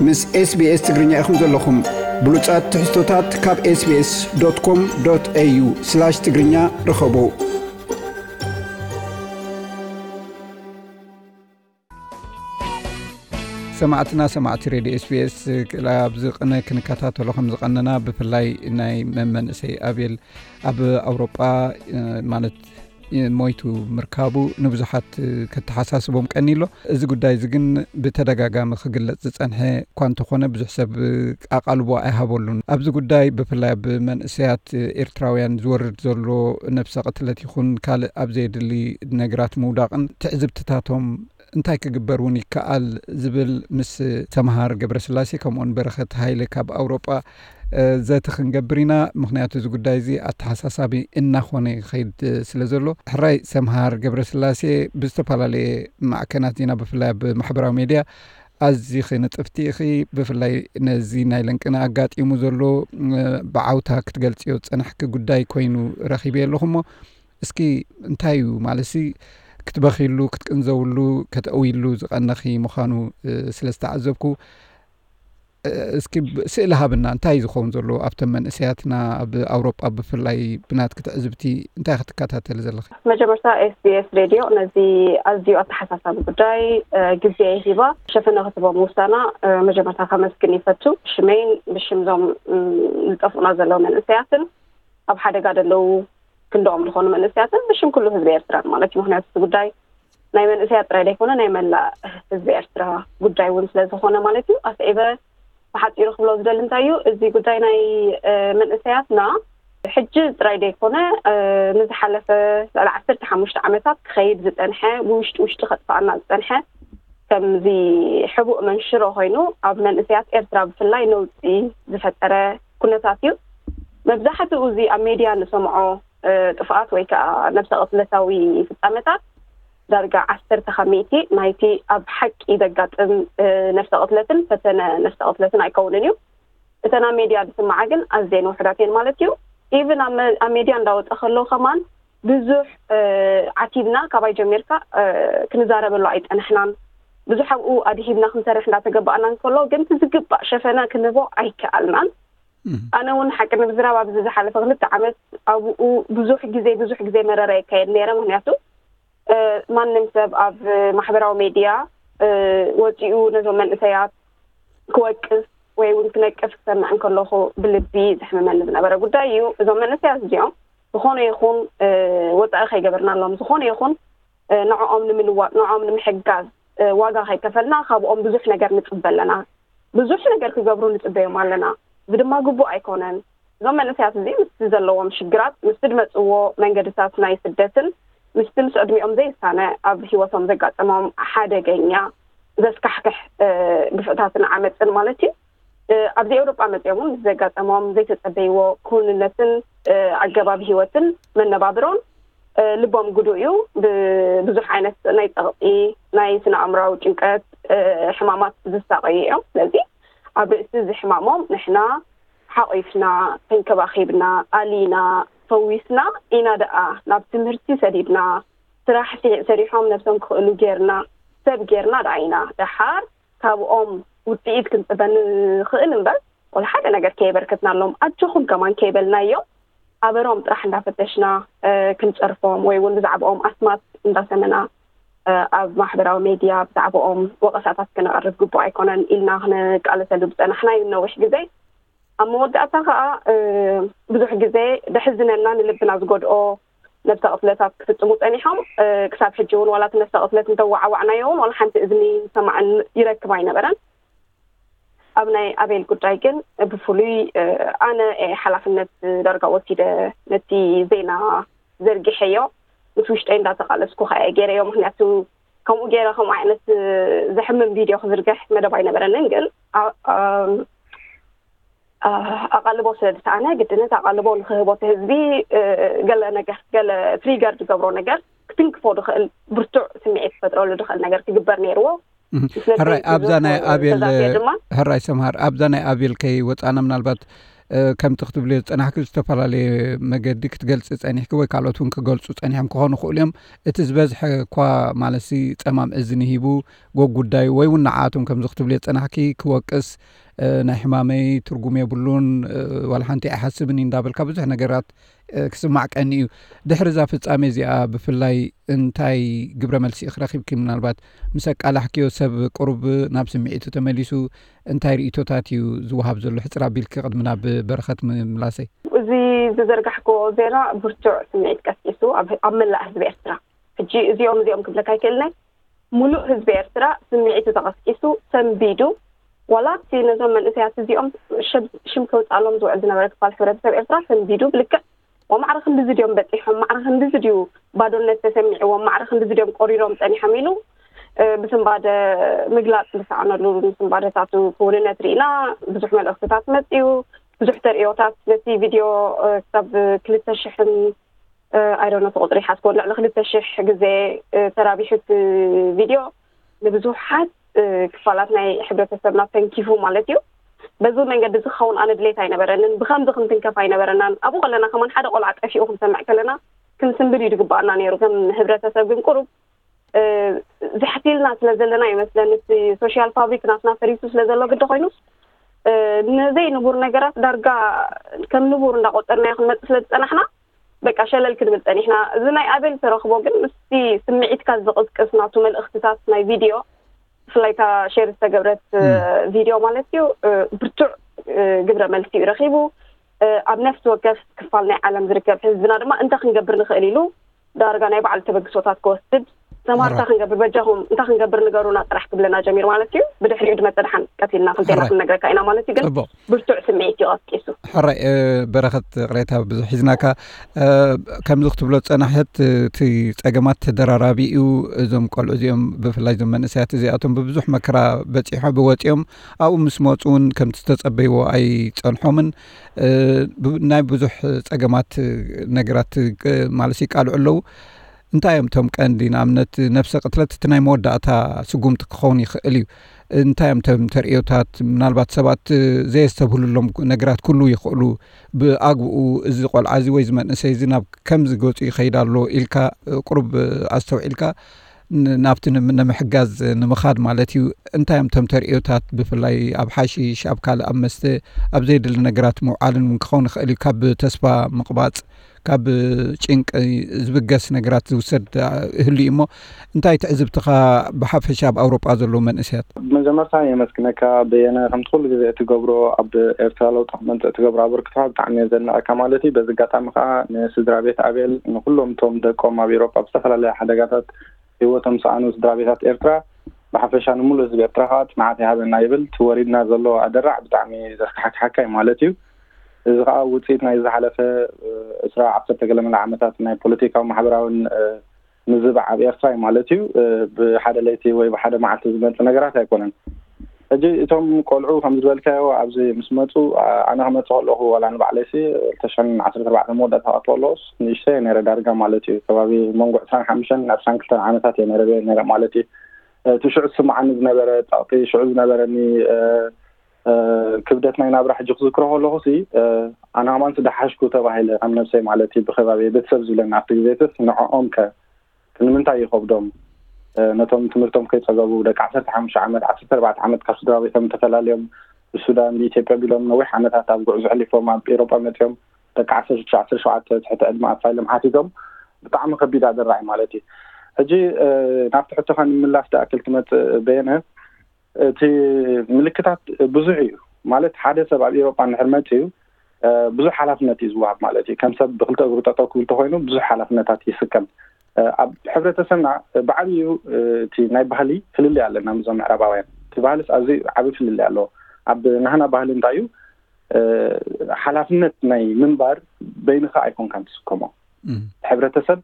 ምስ SBS ትግርኛ ኢኹም ዘለኹም። ብሉጻት ትሕዝቶታት ካብ SBS.com.au/ትግርኛ ርኸቡ። ሰማዕትና፣ ሰማዕቲ ሬድዮ SBS፣ ኣብዚ ቅነ ክንከታተሎ ከም ዝቐነና፣ ብፍላይ ናይ መመንእሰይ ኣቤል ኣብ ኣውሮጳ፣ ማለት፣ ሞይቱ ምርካቡ ንብዙሓት ከተሓሳስቦም ቀኒሎ። እዚ ጉዳይ እዚ ግን ብተደጋጋሚ ክግለጽ ዝጸንሐ እኳ እንተኾነ፣ ብዙሕ ሰብ ኣቓልቦ ኣይሃበሉን። ኣብዚ ጉዳይ፣ ብፍላይ ኣብ መንእሰያት ኤርትራውያን ዝወርድ ዘሎ ነብሰ ቅትለት ይኹን ካልእ ኣብ ዘየድሊ ነገራት ምውዳቕን ትዕዝብትታቶም እንታይ ክግበር እውን ይከኣል ዝብል ምስ ሰምሃር ገብረስላሴ ከምኡውን በረኸት ሃይለ ካብ ኣውሮጳ፣ እ፣ ዘተ ክንገብር ኢና። ምኽንያቱ እዚ ጉዳይ እዚ ኣተሓሳሳቢ እናኾነ ይኸይድ ስለ ዘሎ። ሕራይ ሰምሃር ገብረስላሴ፣ ብዝተፈላለየ ማዕከናት ዜና ብፍላይ ኣብ ማሕበራዊ ሜድያ ኣዚኺ ንጥፍቲ ኢኺ። ብፍላይ ነዚ ናይ ለንቅነ ኣጋጢሙ ዘሎ፣ እ፣ ብዓውታ ክትገልጽዮ ዝጸናሕኪ ጉዳይ ኮይኑ ረኺበ ኣለኹ እሞ፣ እስኪ እንታይ እዩ ማለትሲ ክትበኺሉ፣ ክትቅንዘውሉ፣ ከተእውይሉ ዝቐነኺ ምዃኑ፣ እ፣ ስለ ዝተዓዘብኩ፣ እ፣ እስኪ ብ-፣ ስእሊ ሃብና፣ እንታይ እዩ ዝኸውን ዘሎ ኣብቶም መንእሰያትና ኣብ ኣውሮጳ ብፍላይ ብናትኪ ትዕዝብቲ እንታይ ክትከታተሊ ዘለኺ? መጀመርታ SBS ሬድዮ ነዚ ኣዝዩ ኣተሓሳሳቢ ጉዳይ፣ እ፣ ግዜ ሂባ ሸፈነ ክትቦ ምውሳና፣ እ፣ መጀመርታ ከመስግን ይፈቱ። ብሽመይን ብሽም ዞም፣ እ፣ ዝጠፍኡና ዘለዉ መንእሰያትን ኣብ ሓደጋ ዘለዉ ክንድኦም ዝኾኑ መንእሰያትን ብሽም ኩሉ ህዝቢ ኤርትራን ማለት እዩ። ምኽንያቱ እቲ ጉዳይ ናይ መንእሰያት ጥራይ ዘይኮነ ናይ መላእ ህዝቢ ኤርትራ ጉዳይ እውን ስለ ዝኾነ ማለት እዩ። ኣስዒበ ብሓጺሩ ክብሎ ዝደሊ እንታይ እዩ፣ እዚ ጉዳይ ናይ፣ እ፣ መንእሰያትና ሕጂ ጥራይ ዘይኮነ፣ እ፣ ንዝሓለፈ ልዕሊ ዓሰርተ ሓሙሽተ ዓመታት ክኸይድ ዝጸንሐ፣ ብውሽጢ ውሽጢ ከጥፍኣና ዝጸንሐ፣ ከምዚ ሕቡእ መንሽሮ ኮይኑ ኣብ መንእሰያት ኤርትራ ብፍላይ ነውጺ ዝፈጠረ ኩነታት እዩ። መብዛሕትኡ እዚ ኣብ ሜድያ ንሰምዖ፣ እ፣ ጥፍኣት ወይ ከኣ ነብሰ ቅትለታዊ ፍጻመታት ዳርጋ ዓሰርተ ካብ ሚእቲ ናይቲ ኣብ ሓቂ ዘጋጥም፣ እ፣ ነብሰ ቅትለትን ፈተነ ነብሰ ቅትለትን ኣይከውንን እዩ። እተን ኣብ ሜድያ ዝስምዓ ግን ኣዝየን ውሑዳት እየን ማለት እዩ። ኢቭን ኣብ መ-፣ ኣብ ሜድያ እንዳወጸ ከሎ ከማን ብዙሕ፣ እ፣ ዓቲብና ካባይ ጀሚርካ፣ እ፣ ክንዛረበሉ ኣይጸናሕናን። ብዙሕ ኣብኡ ኣድሂብና ክንሰርሕ እንዳተገባኣና እንከሎ ግን እቲ ዝግባእ ሸፈነ ክንህቦ ኣይከኣልናን። እም። ኣነ እውን ሓቂ ንምዝራብ ኣብዚ ዝሓለፈ ክልተ ዓመት ኣብኡ ብዙሕ ግዜ፣ ብዙሕ ግዜ መረረ የካየድ ነይረ። ምኽንያቱ፣ እ፣ ማንም ሰብ ኣብ ማሕበራዊ ሜድያ፣ እ፣ ወጺኡ ነዞም መንእሰያት ክወቅስ ወይ እውን ክነቅፍ ክሰምዕ እንከለኹ ብልቢ ዘሕምመኒ ዝነበረ ጉዳይ እዩ። እዞም መንእሰያት እዚኦም ዝኾነ ይኹን፣ እ፣ ወጻኢ ከይገበርናሎም፣ ዝኾነ ይኹን፣ እ፣ ንዕኦም ንምልዋጥ፣ ንዕኦም ንምሕጋዝ፣ እ፣ ዋጋ ከይከፈልና ካብኦም ብዙሕ ነገር ንጽበ ኣለና። ብዙሕ ነገር ክገብሩ ንጽበዮም ኣለና። እዚ ድማ ግቡእ ኣይኮነን። እዞም መንእሰያት እዚ ምስቲ ዘለዎም ሽግራት፣ ምስቲ ዝመጽዎ መንገድታት ናይ ስደትን ምስቲ ምስ ዕድሚኦም ዘይሳነ ኣብ ህይወቶም ዘጋጠሞም ሓደገኛ ዘስካሕክሕ፣ እ፣ ግፍዕታትን ዓመጽን ማለት እዩ። እ፣ ኣብዚ ኤውሮጳ መጺኦም እውን ምስ ዘጋጠሞም ዘይተጸበይዎ ክውንነትን፣ እ፣ ኣገባብ ህይወትን መነባብሮን፣ እ፣ ልቦም ግዱእ እዩ። ብብዙሕ ዓይነት ናይ ጸቕጢ፣ ናይ ስነ ኣእምሮኣዊ ጭንቀት፣ እ፣ ሕማማት ዝሳቐዩ እዮም። ስለዚ ኣብ ርእሲ እዚ ሕማሞም ንሕና ሓቒፍና፣ ተንከባኺብና፣ ኣሊና፣ ፈዊስና ኢና ደኣ ናብ ትምህርቲ ሰዲድና፣ ስራሕ ሲ-፣ ሰሪሖም ነብሶም ክኽእሉ ጌርና፣ ሰብ ጌርና ደኣ ኢና። ደሓር ካብኦም ውጽኢት ክንጽበ ንኽእል እምበር፣ ወላ ሓደ ነገር ከየበርከትናሎም፣ ኣጆኹም ከማን ከይበልናዮም፣ ኣበሮም ጥራሕ እንዳፈተሽና፣ እ፣ ክንጸርፎም ወይ እውን ብዛዕባኦም ኣስማት እንዳሰመና፣ እ፣ ኣብ ማሕበራዊ ሜድያ ብዛዕባኦም ወቐሳታት ክነቕርብ ግቡእ ኣይኮነን ኢልና ክንቃለሰሉ ዝጸናሕና እዩ ነዊሕ ግዜ። ኣብ መወዳእታ ከኣ፣ እ፣ ብዙሕ ግዜ ደሕዝነና ንልብና ዝጎድኦ ነብሰ ቅትለታት ክፍጽሙ ጸኒሖም። እ፣ ክሳብ ሕጂ እውን ዋላ እቲ ነብሰ ቅትለት እንተወዓዋዕናዮ እውን ዋላ ሓንቲ እዝኒ ዝሰማዕን ይረክብ ኣይነበረን። ኣብ ናይ ኣቤል ጉዳይ ግን ብፍሉይ፣ እ፣ ኣነ እየ ሓላፍነት ዳርጋ ወሲደ ነቲ ዜና ዘርጊሐዮ። ምስ ውሽጠይ እንዳተቓለስኩ ከኣ እየ ገይረዮ። ምኽንያቱ ከምኡ ገይረ ከምኡ ዓይነት፣ እ፣ ዘሕምም ቪድዮ ክዝርግሕ መደብ ኣይነበረንን። ግን ኣ-፣ ኣም፣ ኣ-፣ ኣቓልቦ ስለ ዝሰኣነ ግድነት ኣቓልቦ ንኽህቦ እቲ ህዝቢ፣ እ፣ ገለ ነገር፣ ገለ ትሪገር ዝገብሮ ነገር ክትንክፎ ዝኽእል ብርቱዕ ስምዒት ክፈጥረሉ ዝኽእል ነገር ክግበር ነይርዎ። እህ፣ ስለዚ ሕራይ፣ ኣብዛ ናይ ተዛትየ ኣቤል፣ ድማ ሕራይ ሰምሃር፣ ኣብዛ ናይ ኣቤል ከይወጻና ምናልባት ከምቲ ክትብልዮ ዝጸናሕኪ ዝተፈላለየ መገዲ ክትገልጺ ጸኒሕኪ ወይ ካልኦት እውን ክገልጹ ጸኒሖም ክኾኑ ይኽእሉ እዮም። እቲ ዝበዝሐ እኳ ማለት ጸማም እዝኒ ሂቡ ጎጉዳዩ ወይ እውን ንዓኣቶም ከምዚ ክትብልዮ ዝጸናሕኪ ክወቅስ ናይ ሕማመይ ትርጉም የብሉን፣ ዋላ ሓንቲ ኣይሓስብን እዩ እንዳበልካ ብዙሕ ነገራት ክስማዕ ቀኒ እዩ። ድሕሪ እዛ ፍጻሜ እዚኣ ብፍላይ እንታይ ግብረ መልሲ ኢኺ ረኺብኪ? ምናልባት ምስ ኣቃላሕክዮ ሰብ ቅሩብ ናብ ስምዒቱ ተመሊሱ እንታይ ርእይቶታት እዩ ዝወሃብ ዘሎ? ሕጽር ኣቢልኪ ቅድሚ ናብ በረኸት ምላሰይ። እዚ ዝዘርጋሕክዎ ዜና ብርቱዕ ስምዒት ቀስቂሱ ኣብ ኣብ መላእ ህዝቢ ኤርትራ። ሕጂ እዚኦም እዚኦም ክብለካ ኣይክእልናይ። ሙሉእ ህዝቢ ኤርትራ ስምዒቱ ተቐስቂሱ ሰንቢዱ፣ ዋላ እቲ ነዞም መንእሰያት እዚኦም ሽም ከውፅኣሎም ዝውዕል ዝነበረ ክፋል ሕብረተሰብ ኤርትራ ሰንቢዱ ብልክዕ ወማዕረ ክንድዚ ድዮም በፂሖም፣ ማዕረ ክንድዚ ድዩ ባዶነት ተሰሚዕዎም፣ ማዕረ ክንድዚ ድዮም ቆሪሮም ፀኒሖም ኢሉ ብስንባደ ምግላፅ ዝሰኣነሉ ምስንባደታቱ ክውንነት ርኢና። ብዙሕ መልእኽትታት መፅዩ፣ ብዙሕ ተርእዮታት ነቲ ቪድዮ ክሳብ ክልተ ሽሕን ኣይዶነ እቲ ቁፅሪ ሓዝኮ ልዕሊ ክልተ ሽሕ ግዜ ተራቢሑ እቲ ቪድዮ ንብዙሓት ክፋላት ናይ ሕብረተሰብና ተንኪፉ ማለት እዩ። በዚ መንገዲ እዚ ክኸውን ኣነ ድሌት ኣይነበረንን። ብከምዚ ክንትንከፍ ኣይነበረናን። ኣብኡ ከለና ከማን ሓደ ቆልዓ ጠፊኡ ክንሰምዕ ከለና ክንስንብድ እዩ ድግባኣና ነይሩ። ከም ህብረተሰብ ግን ቁሩብ ዝሕቲልና ስለ ዘለና ይመስለኒ እቲ ሶሻል ፋብሪክ ናትና ፈሪሱ ስለ ዘሎ ግዲ ኮይኑስ ነዘይ ንቡር ነገራት ዳርጋ ከም ንቡር እንዳቆፀርናዮ ክንመፅእ ስለ ዝፀናሕና በቃ ሸለል ክንብል ፀኒሕና። እዚ ናይ ኣቤል ተረኽቦ ግን ምስቲ ስምዒትካ ዝቕስቅስ ናቱ መልእኽትታት ናይ ቪድዮ ብፍላይ እታ ሼር ዝተገብረት ቪድዮ ማለት እዩ ብርቱዕ ግብረ መልሲ እዩ ረኺቡ። ኣብ ነፍሲ ወከፍ ክፋል ናይ ዓለም ዝርከብ ህዝብና ድማ እንታይ ክንገብር ንኽእል ኢሉ ዳርጋ ናይ ባዕሉ ተበግሶታት ክወስድ ሰማርታ ክንገብር በጃኹም እንታይ ክንገብር ንገሩና ጥራሕ ክብለና ጀሚሩ ማለት እዩ። ብድሕሪኡ ድመፀ ደሓን ቀቲልና ክልቴና ክንነግረካ ኢና ማለት እዩ። ግን ብርቱዕ ስምዒት እዩ ቀስቂሱ። ሕራይ በረኸት ቅሬታ ብዙሕ ሒዝናካ ከምዚ ክትብሎ ዝፀናሕት እቲ ፀገማት ተደራራቢ እዩ። እዞም ቆልዑ እዚኦም ብፍላይ እዞም መንእሰያት እዚኣቶም ብብዙሕ መከራ በፂሖ ብወፂኦም ኣብኡ ምስ መፁ እውን ከምቲ ዝተፀበይዎ ኣይፀንሖምን። ናይ ብዙሕ ፀገማት ነገራት ማለት ይቃልዑ ኣለዉ። እንታይ እዮም እቶም ቀንዲ ንኣብነት ነብሰ ቅትለት እቲ ናይ መወዳእታ ስጉምቲ ክኸውን ይኽእል እዩ። እንታይ እዮም እቶም ተርእዮታት ምናልባት ሰባት ዘየስተብህሉሎም ነገራት ክህልዉ ይኽእሉ። ብኣግኡ እዚ ቆልዓ እዚ ወይ እዚ መንእሰይ እዚ ናብ ከምዚ ገፁ ይኸይድ ኣሎ ኢልካ ቁሩብ ኣስተውዒልካ ናብቲ ንምሕጋዝ ንምኻድ ማለት እዩ። እንታይ እዮም እቶም ተርእዮታት ብፍላይ ኣብ ሓሽሽ ኣብ ካልእ ኣብ መስተ ኣብ ዘየድሊ ነገራት ምውዓልን እውን ክኸውን ይኽእል እዩ። ካብ ተስፋ ምቕባፅ ካብ ጭንቂ ዝብገስ ነገራት ዝውሰድ ህሉ እዩ እሞ እንታይ ትዕዝብትኻ ብሓፈሻ ኣብ ኣውሮጳ ዘለዉ መንእሰያት? መጀመርታ የመስግነካ በየነ ከምቲ ኩሉ ግዜ እትገብሮ ኣብ ኤርትራ ለውጢ ክመፅእ እትገብሮ ኣበርክቶ ብጣዕሚ እየ ዘድንቐካ ማለት እዩ። በዚ ኣጋጣሚ ከዓ ንስድራ ቤት ኣቤል ንኩሎም እቶም ደቆም ኣብ ኤውሮጳ ብዝተፈላለየ ሓደጋታት ህይወቶም ዝሰኣኑ ስድራ ቤታት ኤርትራ ብሓፈሻ ንሙሉእ ህዝቢ ኤርትራ ከዓ ፅንዓት ይሃበና ይብል። እቲ ወሪድና ዘሎ ኣደራዕ ብጣዕሚ ዘስካሕክሓካ እዩ ማለት እዩ። እዚ ከዓ ውፅኢት ናይ ዝሓለፈ ዕስራ ዓሰርተ ገለመለ ዓመታት ናይ ፖለቲካዊ ማሕበራዊን ምዝባዕ ኣብ ኤርትራ እዩ ማለት እዩ። ብሓደ ለይቲ ወይ ብሓደ መዓልቲ ዝመፅእ ነገራት ኣይኮነን። ሕጂ እቶም ቆልዑ ከም ዝበልካዮ ኣብዚ ምስ መፁ ኣነ ክመፅእ ከለኹ ዋላ ንባዕለይሲ ክልተ ሽሕን ዓሰርተ ኣርባዕተ መወዳእታ ክኣቱ ከለኹስ ንእሽተይ ነረ ዳርጋ ማለት እዩ። ከባቢ መንጎ ዕስራን ሓሙሽተን ዕስራን ክልተን ዓመታት እየ ነረ ነረ ማለት እዩ። እቲ ሽዑ ዝስምዓኒ ዝነበረ ጸቕጢ፣ ሽዑ ዝነበረኒ ክብደት ናይ ናብራ ሕጂ ክዝክሮ ከለኹሲ ኣነ ከማን ዝደሓሽኩ ተባሂለ ከም ነብሰይ ማለት እዩ። ብከባቢ ቤተሰብ ዝብለኒ ኣብቲ ግዜትስ ንዕኦም ከ ንምንታይ ይኸብዶም? ነቶም ትምህርቶም ከይጸገቡ ደቂ ዓሰርተ ሓሙሽተ ዓመት ዓሰርተ ኣርባዕተ ዓመት ካብ ስድራ ቤቶም ተፈላልዮም ብሱዳን ብኢትዮጵያ ቢሎም ነዊሕ ዓመታት ኣብ ጉዕዞ ሕሊፎም ኣብ ኤሮጳ መጺኦም ደቂ ዓሰርተ ሽዱሽተ ዓሰርተ ሸውዓተ ትሕቲ ዕድመ ኣፋሎም ሓቲቶም ብጣዕሚ ከቢድ ኣደራዒ ማለት እዩ። ሕጂ ናብቲ ሕቶኻ ንምላስ ደኣክል ክመጽእ በየነ እቲ ምልክታት ብዙሕ እዩ ማለት ሓደ ሰብ ኣብ ኤሮጳ እንድሕር መጺኡ ብዙሕ ሓላፍነት እዩ ዝወሃብ ማለት እዩ። ከም ሰብ ብክልተ እግሩ ጠጠው ክብል ተኮይኑ ብዙሕ ሓላፍነታት ይስከም። ኣብ ሕብረተሰብና ብዓብዩ እቲ ናይ ባህሊ ፍልልይ ኣለና ምስዞም ምዕራባውያን። እቲ ባህልስ ኣዝዩ ዓቢ ፍልልይ ኣለዎ። ኣብ ናህና ባህሊ እንታይ እዩ? ሓላፍነት ናይ ምንባር በይንኻ ኣይኮንካን ትስከሞ። ሕብረተሰብ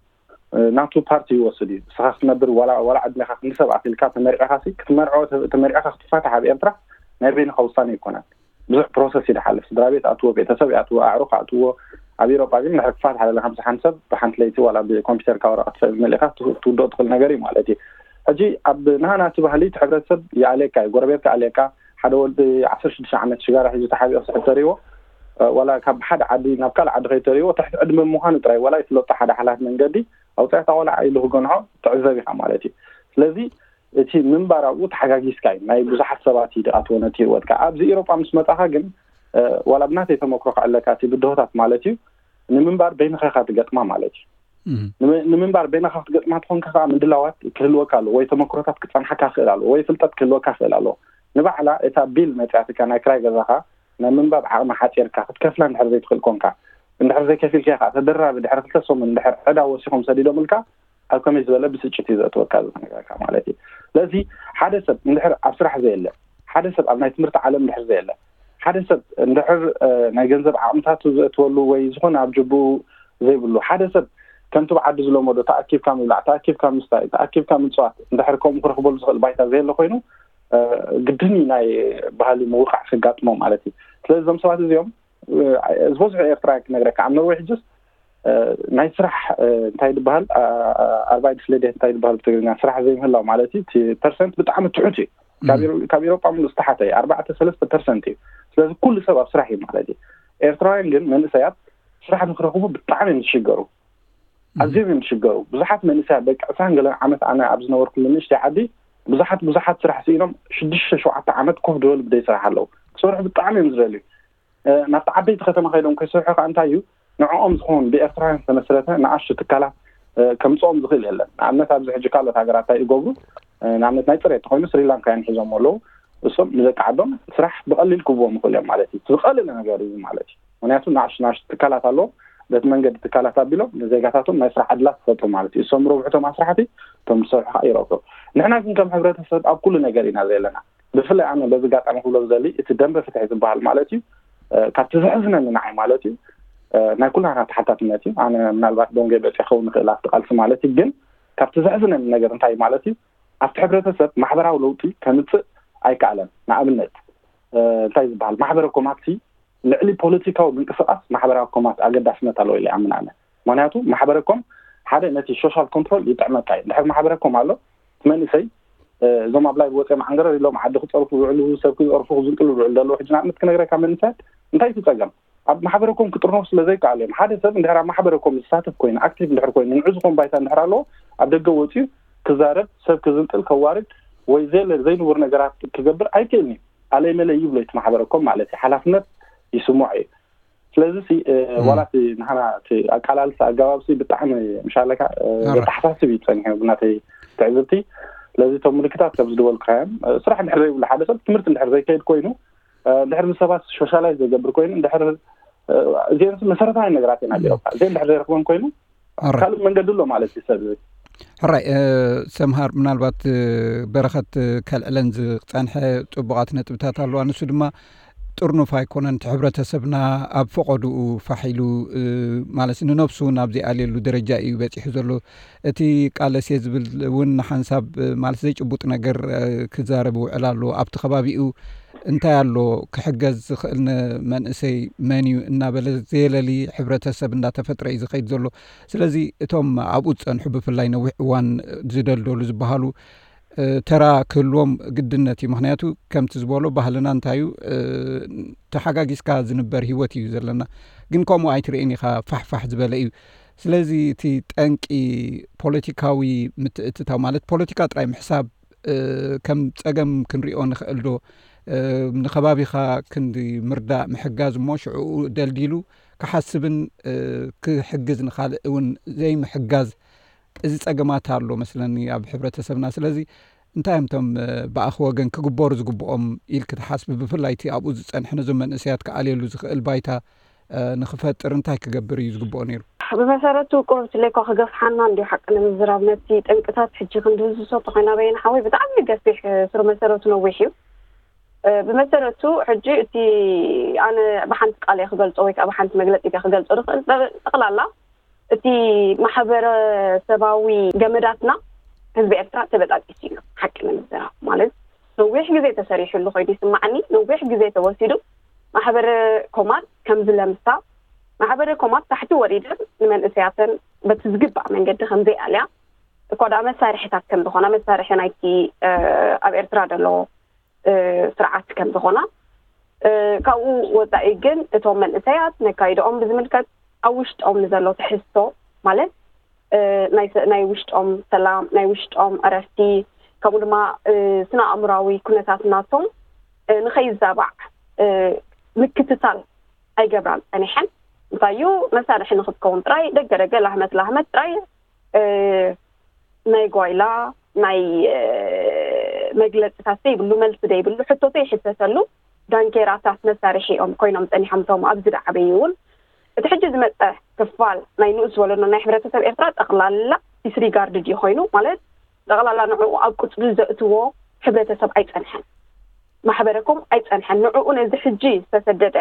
ናቱ ፓርቲ ይወስድ እዩ። ንስኻ ክትነብር ዋላ ዕድሜኻ ክንዲ ሰብ ኣኪልካ ተመርዒኻሲ ክትመርዖ ተመርዒኻ ክትፋታሕ ኣብ ኤርትራ ናይ በይንኻ ውሳነ ኣይኮነን። ብዙሕ ፕሮሰስ እዩ ዝሓልፍ። ስድራ ቤት ኣትዎ፣ ቤተሰብ ይኣትዎ፣ ኣዕሩኽ ኣትዎ። ኣብ ኤሮጳ ግን ንድሕሪ ክፋታሕ ደለኻ ምስ ሓንቲ ሰብ ብሓንቲ ለይቲ ዋላ ብኮምፒተርካ ወረቐት መሊእኻ ትውድኦ ትኽእል ነገር እዩ ማለት እዩ። ሕጂ ኣብ ናህና እቲ ባህሊ እቲ ሕብረተሰብ ይኣልየካ እዩ፣ ጎረቤትካ ይኣልየካ። ሓደ ወዲ ዓሰርተ ሽዱሽተ ዓመት ሽጋራ ሒዙ ተሓቢኦ ክስሕብ ተሪእዎ ዋላ ካብ ሓደ ዓዲ ናብ ካልእ ዓዲ ከይተርእይዎ ትሕቲ ዕድመ ምዃኑ ጥራይ ዋላ ይፍለጦ ሓደ ሓላፊ መንገዲ ኣውፃእታ ቆልዓ ኢሉ ክገንሖ ትዕዘብ ኢኻ ማለት እዩ። ስለዚ እቲ ምንባር ኣብኡ ተሓጋጊዝካ እዩ፣ ናይ ብዙሓት ሰባት እዩ ዝኣትዎ ነቲ ህይወትካ። ኣብዚ ኢሮጳ ምስ መጻኻ ግን ዋላ ብናተይ ተመክሮ ክዕለካ እቲ ብድሆታት ማለት እዩ ንምንባር በይንኻ ኢኻ ትገጥማ ማለት እዩ። ንምንባር በይንኻ ክትገጥማ ትኾንካ ከዓ ምድላዋት ክህልወካ ኣለዎ፣ ወይ ተመክሮታት ክፀንሓካ ክእል ኣለዎ፣ ወይ ፍልጠት ክህልወካ ክእል ኣለዎ። ንባዕላ እታ ቢል መፅያትካ ናይ ክራይ ገዛኻ ናይ ምንባብ ዓቕሚ ሓፂርካ ክትከፍላ እንድሕር ዘይትኽእል ኮንካ፣ እንድሕር ዘይከፊልካ ከዓ ተደራቢ ድሕሪ ክልተ ሰሙን እንድሕር ዕዳ ወሲኾም ሰዲዶምልካ ኣብ ከመይ ዝበለ ብስጭት እዩ ዘእትወካ ዝነገረካ ማለት እዩ። ስለዚ ሓደ ሰብ እንድሕር ኣብ ስራሕ ዘየለ፣ ሓደ ሰብ ኣብ ናይ ትምህርቲ ዓለም እንድሕር ዘየለ፣ ሓደ ሰብ እንድሕር ናይ ገንዘብ ዓቕምታቱ ዘእትወሉ ወይ ዝኾነ ኣብ ጀብኡ ዘይብሉ ሓደ ሰብ ከምቲ ብዓዲ ዝለመዶ ተኣኪብካ ምብላዕ፣ ተኣኪብካ ምስታይ፣ ተኣኪብካ ምፅዋት እንድሕር ከምኡ ክረኽበሉ ዝኽእል ባይታ ዘየለ ኮይኑ ግድን እዩ ናይ ባህሊ ምውቃዕ ከጋጥሞ ማለት እዩ። ስለዚ እዞም ሰባት እዚኦም ዝበዝሑ ኤርትራውያን ክነግረካ ኣብ ኖርወይ ሕጅስ ናይ ስራሕ እንታይ ዝበሃል ኣርባይት ፍሌዴት እንታይ ዝበሃል ብትግርኛ ስራሕ ዘይምህላው ማለት እዩ። እቲ ፐርሰንት ብጣዕሚ ትሑት እዩ። ካብ ኢሮጳ ሙሉ ዝተሓተ እዩ፣ ኣርባዕተ ሰለስተ ፐርሰንት እዩ። ስለዚ ኩሉ ሰብ ኣብ ስራሕ እዩ ማለት እዩ። ኤርትራውያን ግን መንእሰያት ስራሕ ንክረኽቡ ብጣዕሚ እዮም ዝሽገሩ፣ ኣዝዮም እዮም ዝሽገሩ። ብዙሓት መንእሰያት ደቂ ዕስራን ገለን ዓመት ኣነ ኣብ ዝነበርኩሉ ንእሽተይ ዓዲ ብዙሓት ብዙሓት ስራሕ ስኢኖም ሽዱሽተ ሸውዓተ ዓመት ኮፍ ዝበሉ ብደይ ስራሕ ኣለዉ። ክሰርሑ ብጣዕሚ እዮም ዝደልዩ። ናብቲ ዓበይቲ ከተማ ከይዶም ከይሰርሑ ከዓ እንታይ እዩ ንዕኦም ዝኸውን ብኤርትራውያን ዝተመስረተ ንኣሽቱ ትካላት ከምፅኦም ዝኽእል የለን። ንኣብነት ኣብዚ ሕጂ ካልኦት ሃገራት እንታይ ይገብሩ? ንኣብነት ናይ ፅሬት ተኮይኑ ስሪላንካውያን ሒዞም ኣለዉ። እሶም ንደቂ ዓዶም ስራሕ ብቐሊል ክህብዎም ይኽእሉ እዮም ማለት እዩ። ዝቐለለ ነገር እዩ ማለት እዩ። ምክንያቱ ንኣሽቱ ንኣሽቱ ትካላት ኣለዎም። በቲ መንገዲ ትካላት ኣቢሎም ንዜጋታቶም ናይ ስራሕ ዕድላት ይፈጥሩ ማለት እዩ። እሶም ረብሕቶም ኣስራሕቲ፣ እቶም ዝሰርሑ ከዓ ይረብሑ። ንሕና ግን ከም ሕብረተሰብ ኣብ ኩሉ ነገር ኢና ዘለና። ብፍላይ ኣነ በዚ ኣጋጣሚ ክብሎ ዝደሊ እቲ ደንበ ፍትሒ ዝበሃል ማለት እዩ ካብቲ ዘሕዝነኒ ንዓይ ማለት እዩ ናይ ኩላና ተሓታትነት እዩ። ኣነ ምናልባት ቦንገ በፂ ክኸውን ይኽእል ኣብቲ ቃልሲ ማለት እዩ። ግን ካብቲ ዘሕዝነኒ ነገር እንታይ ማለት እዩ ኣብቲ ሕብረተሰብ ማሕበራዊ ለውጢ ከምፅእ ኣይከኣለን። ንኣብነት እንታይ ዝበሃል ማሕበረ ኮማት ልዕሊ ፖለቲካዊ ምንቅስቃስ ማሕበራዊ ኮማት ኣገዳስነት ኣለዎ ኢለ ይኣምን ኣነ። ምክንያቱ ማሕበረ ኮም ሓደ ነቲ ሶሻል ኮንትሮል ይጥዕመካ እዩ። እንድሕር ማሕበረ ኮም ኣሎ እቲ መንእሰይ እዞም ኣብ ላይ ወፂኦም ዓንገረር ኢሎም ዓዲ ክፀርፉ ዝውዕሉ ሰብ ክፀርፉ ክዝንጥሉ ዝውዕሉ ዘለዉ ሕጂ ንኣብነት ክነግረካ መንእሰያት እንታይ እቲ ፀገም ኣብ ማሕበረ ኮም ክጥርነፉ ስለ ዘይከኣሉ እዮም። ሓደ ሰብ እንድሕር ኣብ ማሕበረ ኮም ዝሳተፍ ኮይኑ ኣክቲቭ እንድሕር ኮይኑ ንዑ ዝኾን ባይታ እንድሕር ኣለዎ ኣብ ደገ ወፂኡ ክዛረብ ሰብ ክዝንጥል ከዋርድ ወይ ዘለ ዘይንቡር ነገራት ክገብር ኣይክእልን እዩ። ኣለይ መለይ ይብሎ እቲ ማሕበረ ኮም ማለት እዩ ሓላፍነት ይስምዖ እዩ። ስለዚ ሲ ዋላ እቲ ንሓና እቲ ኣቃላልሳ ኣገባብ ሲ ብጣዕሚ ምሻለካ ዘተሓሳስብ እዩ ፀኒሑ ብናተይ ትዕዝብቲ። ስለዚ እቶም ምልክታት ከም ዝድበልካዮም ስራሕ እንድሕር ዘይብሉ ሓደ ሰብ ትምህርቲ እንድሕር ዘይከይድ ኮይኑ እንድሕር ምስ ሰባት ሶሻላይዝ ዘይገብር ኮይኑ እንድሕር እዚአን መሰረታዊ ነገራት እየን ኣብ ኤሮፓ እዚአን እንድሕር ዘይረክበን ኮይኑ ካልእ መንገዲ ኣሎ ማለት እዩ ሰብ ሕራይ ሰምሃር ምናልባት በረኸት ከልዕለን ዝፀንሐ ፅቡቓት ነጥብታት ኣለዋ። ንሱ ድማ ጥርኑፍ ኣይኮነን። እቲ ሕብረተሰብና ኣብ ፈቐድኡ ፋሕ ኢሉ ማለት ንነብሱ እውን ኣብ ዘይኣልየሉ ደረጃ እዩ በፂሑ ዘሎ። እቲ ቃለሴ ዝብል እውን ንሓንሳብ ማለት ዘይጭቡጥ ነገር ክዛረብ ይውዕል ኣሎ። ኣብቲ ከባቢኡ እንታይ ኣሎ ክሕገዝ ዝኽእል ንመንእሰይ መን እዩ እናበለ ዘየለሊ ሕብረተሰብ እንዳተፈጥረ እዩ ዝኸይድ ዘሎ። ስለዚ እቶም ኣብኡ ዝፀንሑ ብፍላይ ነዊሕ እዋን ዝደልደሉ ዝበሃሉ ተራ ክህልዎም ግድነት እዩ። ምክንያቱ ከምቲ ዝበሎ ባህልና እንታይ እዩ ተሓጋጊዝካ ዝንበር ህይወት እዩ ዘለና። ግን ከምኡ ኣይትርእን ኢኻ ፋሕፋሕ ዝበለ እዩ። ስለዚ እቲ ጠንቂ ፖለቲካዊ ምትእትታው ማለት ፖለቲካ ጥራይ ምሕሳብ ከም ጸገም ክንሪኦ ንኽእል ዶ? ንኸባቢኻ ክንዲ ምርዳእ ምሕጋዝ እሞ ሽዕኡ ደልዲሉ ክሓስብን ክሕግዝ ንኻልእ እውን ዘይምሕጋዝ እዚ ጸገማት ኣሎ መስለኒ ኣብ ሕብረተሰብና። ስለዚ እንታይ እዮም እቶም ብኣኽ ወገን ክግበሩ ዝግብኦም ኢልክ ትሓስቢ? ብፍላይ እቲ ኣብኡ ዝጸንሐ ነዞም መንእሰያት ክኣልየሉ ዝኽእል ባይታ ንኽፈጥር እንታይ ክገብር እዩ ዝግብኦ ነይሩ? ብመሰረቱ ቁሩብ ትለይኳ ክገፍሓና እንዲ ሓቂ ንምዝራብ ነቲ ጠንቅታት ሕጂ ክንድህዝሶ ተኾይና በይና ሓወይ ብጣዕሚ ገፊሕ ስር መሰረቱ ነዊሕ እዩ። ብመሰረቱ ሕጂ እቲ ኣነ ብሓንቲ ቃል እየ ክገልጾ ወይ ከዓ ብሓንቲ መግለፂ እየ ክገልጾ ዝኽእል ጠቕላላ እቲ ማሕበረሰባዊ ገመዳትና ህዝቢ ኤርትራ ተበጣጢሱ እዩ። ሓቂ ንምዝራብ ማለት ነዊሕ ግዜ ተሰሪሕሉ ኮይኑ ይስማዓኒ። ነዊሕ ግዜ ተወሲዱ ማሕበረ ኮማት ከምዚ ለምሳ ማሕበረ ኮማት ታሕቲ ወሪደን ንመንእሰያተን በቲ ዝግባእ መንገዲ ከምዘይኣልያ እኳ ደኣ መሳርሕታት ከም ዝኾና መሳርሒ ናይቲ ኣብ ኤርትራ ዘሎ ስርዓት ከም ዝኾና ካብኡ ወፃኢ ግን እቶም መንእሰያት ነካይድኦም ብዝምልከት ኣብ ውሽጦም ንዘሎ ትሕዝቶ፣ ማለት ናይ ውሽጦም ሰላም፣ ናይ ውሽጦም ዕረፍቲ፣ ከምኡ ድማ ስነ ኣእምራዊ ኩነታት ናቶም ንኸይዛባዕ ምክትታል ኣይገብራን ፀኒሐን። እንታይ እዩ፣ መሳርሒ ንክትከውን ጥራይ፣ ደገ ደገ፣ ላህመት ላህመት ጥራይ፣ ናይ ጓይላ ናይ መግለፅታት ዘይብሉ፣ መልሲ ዘይብሉ፣ ሕቶቶ ይሕተተሉ፣ ዳንኬራታት መሳርሒ እዮም ኮይኖም ፀኒሖም። እቶም ኣብዚ ዝዓበዩ እውን እቲ ሕጂ ዝመፀ ክፋል ናይ ንኡስ ወለዶ ናይ ሕብረተሰብ ኤርትራ ጠቕላላ ዲስሪጋርድ ድዩ ኮይኑ፣ ማለት ጠቕላላ ንዕኡ ኣብ ቁፅሪ ዘእትዎ ሕብረተሰብ ኣይፀንሐን፣ ማሕበረኮም ኣይፀንሐን። ንዕኡ ነዚ ሕጂ ዝተሰደደ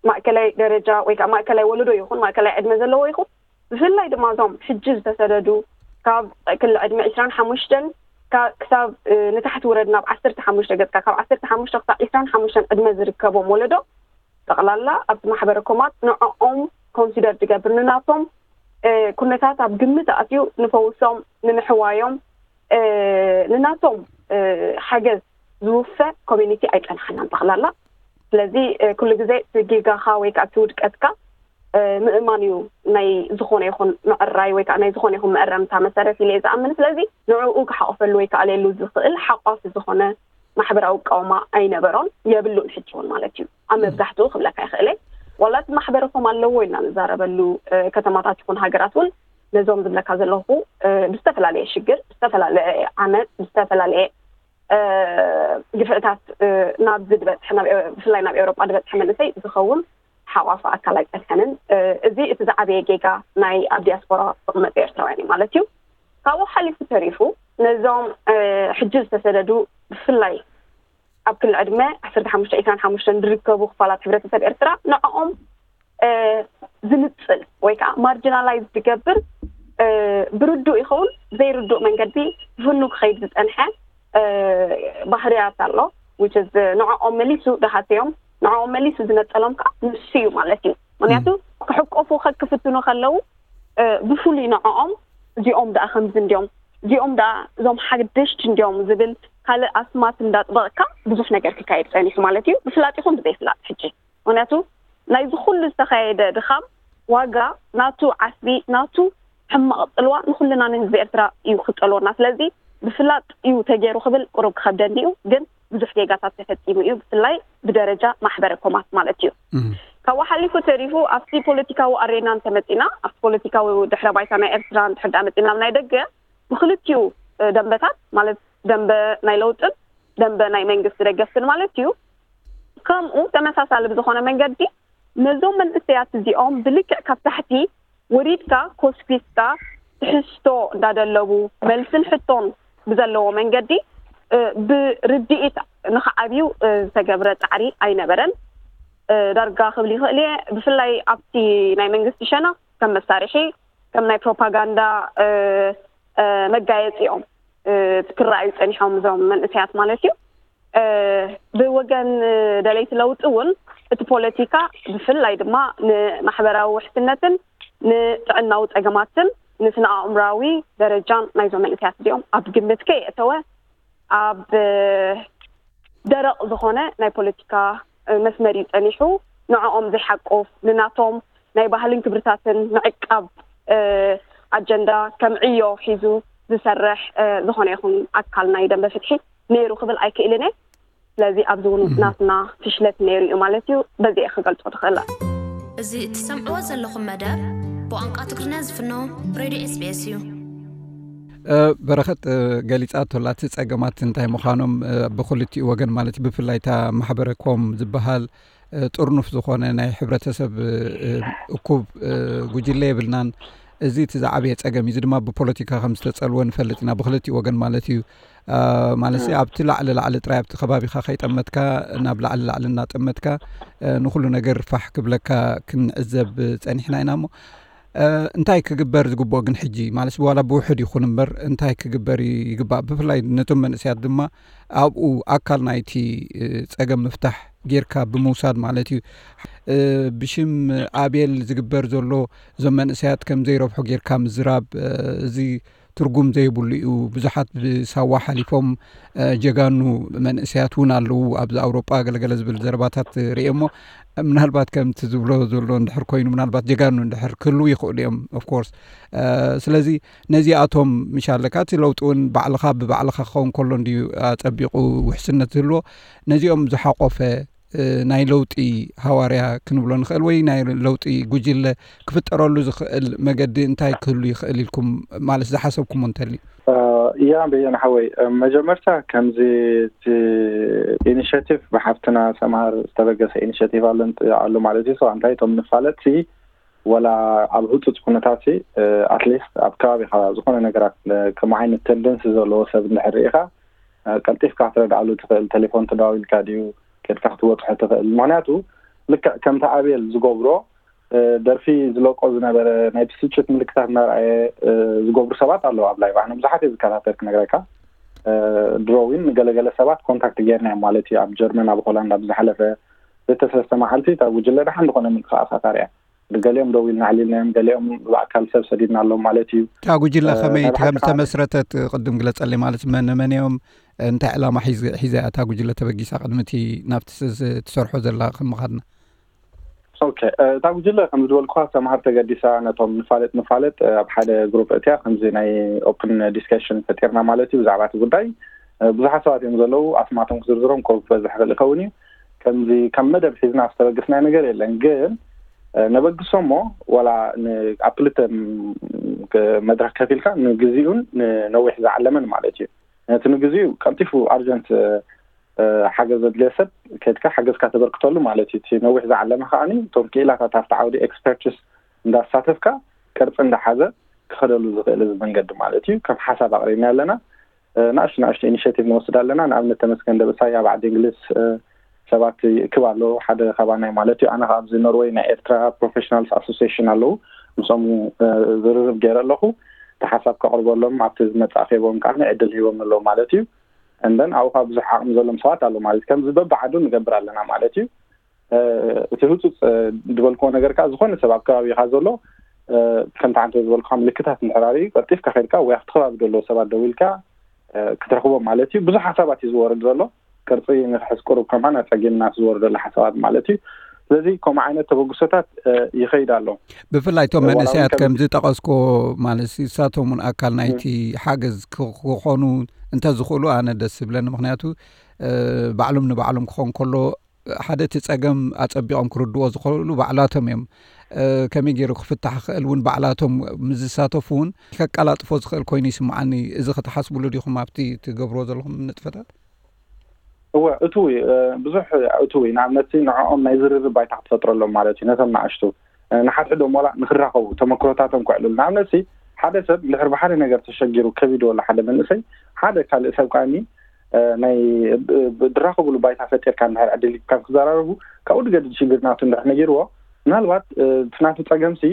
ማእከላይ ደረጃ ወይ ከዓ ማእከላይ ወለዶ ይኹን ማእከላይ ዕድመ ዘለዎ ይኹን፣ ብፍላይ ድማ እዞም ሕጂ ዝተሰደዱ ካብ ክሊ ዕድመ ዕስራን ሓሙሽተን ክሳብ ንታሕቲ ውረድ ናብ ዓሰርተ ሓሙሽተ ገፅካ፣ ካብ ዓሰርተ ሓሙሽተ ክሳብ ዕስራን ሓሙሽተን ዕድመ ዝርከቦም ወለዶ ጠቕላላ ኣብቲ ማሕበረ ኮማት ንዕኦም ኮንሲደር ዝገብር፣ ንናቶም ኩነታት ኣብ ግምት ኣትዩ ንፈውሶም፣ ንምሕዋዮም፣ ንናቶም ሓገዝ ዝውፈ ኮሚኒቲ ኣይፀንሓናን ጠቕላላ። ስለዚ ኩሉ ግዜ እቲ ጌጋኻ ወይ ከዓ እቲ ውድቀትካ ምእማን እዩ ናይ ዝኾነ ይኹን ምዕራይ ወይ ከዓ ናይ ዝኾነ ይኹን መእረምታ መሰረት ኢለ እየ ዝኣምን። ስለዚ ንዕኡ ክሓቑፈሉ ወይ ከዓ ለየሉ ዝኽእል ሓቋፊ ዝኾነ ማሕበራዊ ኣቃውማ ኣይነበሮን፣ የብሉን ሕጂ እውን ማለት እዩ። ኣብ መብዛሕትኡ ክብለካ ይኽእል እየ። ዋላ እቲ ማሕበረኮም ኣለዎ ኢልና ንዛረበሉ ከተማታት ይኹን ሃገራት እውን ነዞም ዝብለካ ዘለኹ ብዝተፈላለየ ሽግር፣ ብዝተፈላለየ ዓመፅ፣ ብዝተፈላለየ ግፍዕታት ናብ ዝድበፅሐ፣ ብፍላይ ናብ ኤውሮጳ ዝበፅሐ መንእሰይ ዝኸውን ሓቋፊ ኣካል ኣይፀንሐንን። እዚ እቲ ዝዓበየ ጌጋ ናይ ኣብ ዲያስፖራ ዝቕመጡ ኤርትራውያን እዩ ማለት እዩ። ካብኡ ሓሊፉ ተሪፉ ነዞም ሕጂ ዝተሰደዱ ብፍላይ ኣብ ክሊ ዕድመ ዓሰርተ ሓሙሽተ ዕስራን ሓሙሽተን ዝርከቡ ክፋላት ሕብረተሰብ ኤርትራ ንዕኦም ዝንፅል ወይ ከዓ ማርጂናላይዝ ዝገብር ብርዱእ ይኸውን ዘይርዱእ መንገዲ ዝፍኑ ክኸይድ ዝፀንሐ ባህርያት ኣሎ። ንዕኦም መሊሱ ድሃስዮም፣ ንዕኦም መሊሱ ዝነፀሎም ከዓ ንሱ እዩ ማለት እዩ። ምክንያቱ ክሕቆፉ ከክፍትኑ ከለዉ ብፍሉይ ንዕኦም እዚኦም ደኣ ከምዚ እንዲዮም፣ እዚኦም ደኣ እዞም ሓደሽቲ እንዲዮም ዝብል ካልእ ኣስማት እንዳጥበቕካ ብዙሕ ነገር ክካየድ ፀኒሑ ማለት እዩ። ብፍላጥ ይኹን ብዘይፍላጥ ሕጂ ምክንያቱ ናይዚ ኩሉ ዝተኻየደ ድኻም ዋጋ ናቱ ዓስቢ ናቱ ሕማቕ ፅልዋ ንኩልና ንህዝቢ ኤርትራ እዩ ክፀልወና። ስለዚ ብፍላጥ እዩ ተገይሩ ክብል ቁሩብ ክኸብደኒ እዩ፣ ግን ብዙሕ ጌጋታት ተፈፂሙ እዩ፣ ብፍላይ ብደረጃ ማሕበረ ኮማት ማለት እዩ። ካብኡ ሓሊፉ ተሪፉ ኣብቲ ፖለቲካዊ ኣሬና እንተመፂና፣ ኣብቲ ፖለቲካዊ ድሕረ ባይታ ናይ ኤርትራ እንድሕር ደኣ መፂና፣ ኣብ ናይ ደገ ብክልቲኡ ደንበታት ማለት ደንበ ናይ ለውጥን ደንበ ናይ መንግስቲ ደገፍትን ማለት እዩ። ከምኡ ተመሳሳሊ ብዝኾነ መንገዲ ነዞም መንእሰያት እዚኦም ብልክዕ ካብ ታሕቲ ወሪድካ ኮስኪስካ ትሕዝቶ እንዳደለቡ መልስን ሕቶን ብዘለዎ መንገዲ ብርድኢት ንክዓብዩ ዝተገብረ ፃዕሪ ኣይነበረን። ዳርጋ ክብል ይኽእል እየ። ብፍላይ ኣብቲ ናይ መንግስቲ ሸነኽ ከም መሳርሒ ከም ናይ ፕሮፓጋንዳ መጋየፂኦም ክረኣዩ ፀኒሖም እዞም መንእሰያት ማለት እዩ። ብወገን ደለይቲ ለውጢ እውን እቲ ፖለቲካ ብፍላይ ድማ ንማሕበራዊ ውሕስነትን ንጥዕናዊ ፀገማትን ንስነ ኣእምራዊ ደረጃን ናይዞም መንእሰያት እዚኦም ኣብ ግምት ከየእተወ ኣብ ደረቕ ዝኾነ ናይ ፖለቲካ መስመር እዩ ፀኒሑ። ንዕኦም ዘይሓቁፍ፣ ንናቶም ናይ ባህልን ክብርታትን ምዕቃብ ኣጀንዳ ከም ዕዮ ሒዙ ዝሰርሕ ዝኾነ ይኹን ኣካል ናይ ደንበ ፍትሒ ነይሩ ክብል ኣይክእልን እየ። ስለዚ ኣብዚ እውን ናትና ፍሽለት ነይሩ እዩ ማለት እዩ። በዚ እየ ክገልጾ ዝኽእል። እዚ እትሰምዕዎ ዘለኹም መደብ ብቋንቋ ትግርኛ ዝፍኖ ሬድዮ ኤስቢኤስ እዩ። በረኸት ገሊፃቶ ኣላ እቲ ፀገማት እንታይ ምዃኖም ብክልቲኡ ወገን ማለት ብፍላይ እታ ማሕበረ ኮም ዝበሃል ጥርኑፍ ዝኾነ ናይ ሕብረተሰብ እኩብ ጉጅለ የብልናን። እዚ እቲ ዝዓበየ ፀገም እዩ። እዚ ድማ ብፖለቲካ ከም ዝተፀልወ ንፈልጥ ኢና ብክልቲኡ ወገን ማለት እዩ። ማለት ኣብቲ ላዕሊ ላዕሊ ጥራይ ኣብቲ ከባቢኻ ከይጠመትካ ናብ ላዕሊ ላዕሊ እናጠመትካ ንኩሉ ነገር ፋሕ ክብለካ ክንዕዘብ ፀኒሕና ኢና እሞ እንታይ ክግበር ዝግብኦ ግን ሕጂ ማለት ዋላ ብውሕድ ይኹን እምበር እንታይ ክግበር ይግባእ? ብፍላይ ነቶም መንእሰያት ድማ ኣብኡ ኣካል ናይቲ ፀገም ምፍታሕ ጌርካ ብምውሳድ ማለት እዩ። ብሽም ኣቤል ዝግበር ዘሎ እዞም መንእሰያት ከም ዘይረብሑ ጌርካ ምዝራብ እዚ ትርጉም ዘይብሉ እዩ። ብዙሓት ብሳዋ ሓሊፎም ጀጋኑ መንእሰያት እውን ኣለዉ ኣብዚ ኣውሮጳ ገለገለ ዝብል ዘረባታት ርእየ እሞ፣ ምናልባት ከምቲ ዝብሎ ዘሎ እንድሕር ኮይኑ፣ ምናልባት ጀጋኑ እንድሕር ክህልዉ ይኽእሉ እዮም። Of course ስለዚ ነዚኣቶም ምሻለካ እቲ ለውጢ እውን ባዕልኻ ብባዕልኻ ክኸውን ከሎ እንድዩ ኣጸቢቑ ውሕስነት ዝህልዎ። ነዚኦም ዝሓቆፈ ናይ ለውጢ ሃዋርያ ክንብሎ ንኽእል ወይ ናይ ለውጢ ጉጅለ ክፍጠረሉ ዝኽእል መገዲ እንታይ ክህሉ ይኽእል ኢልኩም ማለት ዝሓሰብኩሞ እንተልዩ? እያ በየነ ሓወይ፣ መጀመርታ ከምዚ ኢኒሽቲቭ ብሓፍትና ሰምሃር ዝተበገሰ ኢኒሽቲቭ ኣሎ ኣሎ ማለት እዩ። ሰው እንታይ እቶም ንፋለጥሲ ወላ ኣብ ህፁፅ ኩነታት ኣትሊስት ኣብ ከባቢካ ዝኾነ ነገራት ከም ዓይነት ተንደንሲ ዘለዎ ሰብ እንድሕር ርኢካ ቀልጢፍካ ክትረድኣሉ ትኽእል። ቴሌፎን ተደዋዊልካ ድዩ ከድካ ክትበፅሖ ትኽእል። ምክንያቱ ልክዕ ከምቲ ኣቤል ዝገብሮ ደርፊ ዝለቆ ዝነበረ ናይ ብስጭት ምልክታት እናረኣየ ዝገብሩ ሰባት ኣለዉ ኣብ ላይቭ። ኣነ ብዙሓት እየ ዝከታተል ክነግረካ። ድሮ እውን ንገለገለ ሰባት ኮንታክት ጌርና እዮም ማለት እዩ። ኣብ ጀርመን ኣብ ሆላንድ ኣብ ዝሓለፈ ክልተ ሰለስተ መዓልቲ እታ ጉጅለ ደሓን ዝኾነ ምንቅስቃሳት ኣርያ። ገሊኦም ደው ኢልና ኣዕሊልናዮም፣ ገሊኦም ብኣካል ሰብ ሰዲድናሎም ማለት እዩ። እታ ጉጅለ ከመይ ከም ዝተመስረተት ቅድም ግለፀለይ፣ ማለት መን መን እዮም፣ እንታይ ዕላማ ሒዘ እያ እታ ጉጅለ ተበጊሳ ቅድሚ እቲ ናብቲ ትሰርሖ ዘላ ከም ምኻድና? ኦኬ፣ እታ ጉጅለ ከም ዝበልኩኻ ሰምሃር ተገዲሳ ነቶም ንፋለጥ ንፋለጥ ኣብ ሓደ ግሩፕ እትያ ከምዚ ናይ ኦፕን ዲስከሽን ፈጢርና ማለት እዩ ብዛዕባ እቲ ጉዳይ። ብዙሓት ሰባት እዮም ዘለዉ፣ ኣስማቶም ክዝርዝሮም ኮ ክበዝሕ ይኽእል ይኸውን እዩ። ከምዚ ከም መደብ ሒዝና ዝተበገስናዮ ነገር የለን፣ ግን ነበግሶ እሞ ዋላ ኣብ ክልተ መድረክ ከፊልካ ንግዚኡን ንነዊሕ ዝዓለመን ማለት እዩ። ነቲ ንግዚኡ ቀልጢፉ ኣርጀንት ሓገዝ ዘድልዮ ሰብ ከድካ ሓገዝካ ተበርክተሉ ማለት እዩ። እቲ ነዊሕ ዝዓለመ ከዓኒ እቶም ክኢላታት ኣብቲ ዓውዲ ኤክስፐርትስ እንዳሳተፍካ ቅርፂ እንዳሓዘ ክኸደሉ ዝኽእል እዚ መንገዲ ማለት እዩ። ከም ሓሳብ ኣቕሪብና ኣለና። ናእሽቱ ናእሽቱ ኢኒሽቲቭ ንወስድ ኣለና። ንኣብነት ተመስገን ደብሳይ ኣብ ዓዲ እንግሊዝ ሰባት ይእክብ ኣሎ። ሓደ ካባናይ ማለት እዩ። ኣነ ኣብዚ ኖርወይ ናይ ኤርትራ ፕሮፌሽናልስ ኣሶሲሽን ኣለዉ። ምስኦም ዝርርብ ገይረ ኣለኹ። እቲ ሓሳብ ከቕርበሎም ኣብቲ ዝመፅእ ኣኼቦም ከዓ ዕድል ሂቦም ኣለዉ ማለት እዩ። እንደን ኣብኡ ከዓ ብዙሕ ዓቕሚ ዘሎም ሰባት ኣለዉ ማለት እዩ። ከምዚ በብዓዱ ንገብር ኣለና ማለት እዩ። እቲ ህፁፅ ዝበልክዎ ነገር ከዓ ዝኾነ ሰብ ኣብ ከባቢካ ዘሎ ከምቲ ዓንተ ዝበልኩካ ምልክታት እንድሕር ኣርእዩ ቀልጢፍካ ከድካ ወይ ኣብቲ ከባቢ ዘለዉ ሰባት ደዊልካ ክትረኽቦም ማለት እዩ። ብዙሕ ሓሳባት እዩ ዝወርድ ዘሎ። ቅርፂ ንክሕዝ ቁሩብ ከማን ኣፀጊምና ዝወርደሉ ሓሳባት ማለት እዩ። ስለዚ ከምኡ ዓይነት ተበግሶታት ይኸይድ ኣሎ። ብፍላይ እቶም መንእሰያት ከም ዝጠቐስኮ ማለት ንሳቶም እውን ኣካል ናይቲ ሓገዝ ክኾኑ እንተዝኽእሉ ኣነ ደስ ዝብለኒ። ምክንያቱ ባዕሎም ንባዕሎም ክኾን ከሎ ሓደ እቲ ፀገም ኣፀቢቖም ክርድዎ ዝኽእሉ ባዕላቶም እዮም። ከመይ ገይሩ ክፍታሕ ክኽእል እውን ባዕላቶም ምስ ዝሳተፉ እውን ከቀላጥፎ ዝኽእል ኮይኑ ይስምዓኒ። እዚ ክትሓስብሉ ዲኹም ኣብቲ ትገብርዎ ዘለኹም ንጥፈታት? እወ፣ እትው ብዙሕ እትው ንኣብነት ንዕኦም ናይ ዝርርብ ባይታ ክትፈጥረሎም ማለት እዩ። ነቶም ንኣሽቱ ንሓድሕዶም ዋላ ንክራኸቡ ተመክሮታቶም ክዕልሉ። ንኣብነት ሓደ ሰብ እንድሕር ብሓደ ነገር ተሸጊሩ ከቢድዎ ኣሎ ሓደ መንእሰይ ሓደ ካልእ ሰብ ከዓኒ ናይ ድራኸብሉ ባይታ ፈጢርካ እንድሕር ዕድል ካብ ክዘራረቡ ካብኡ ድገድድ ሽግር ናቱ እንድሕር ነጊርዎ ምናልባት እቲ ናቱ ፀገምሲ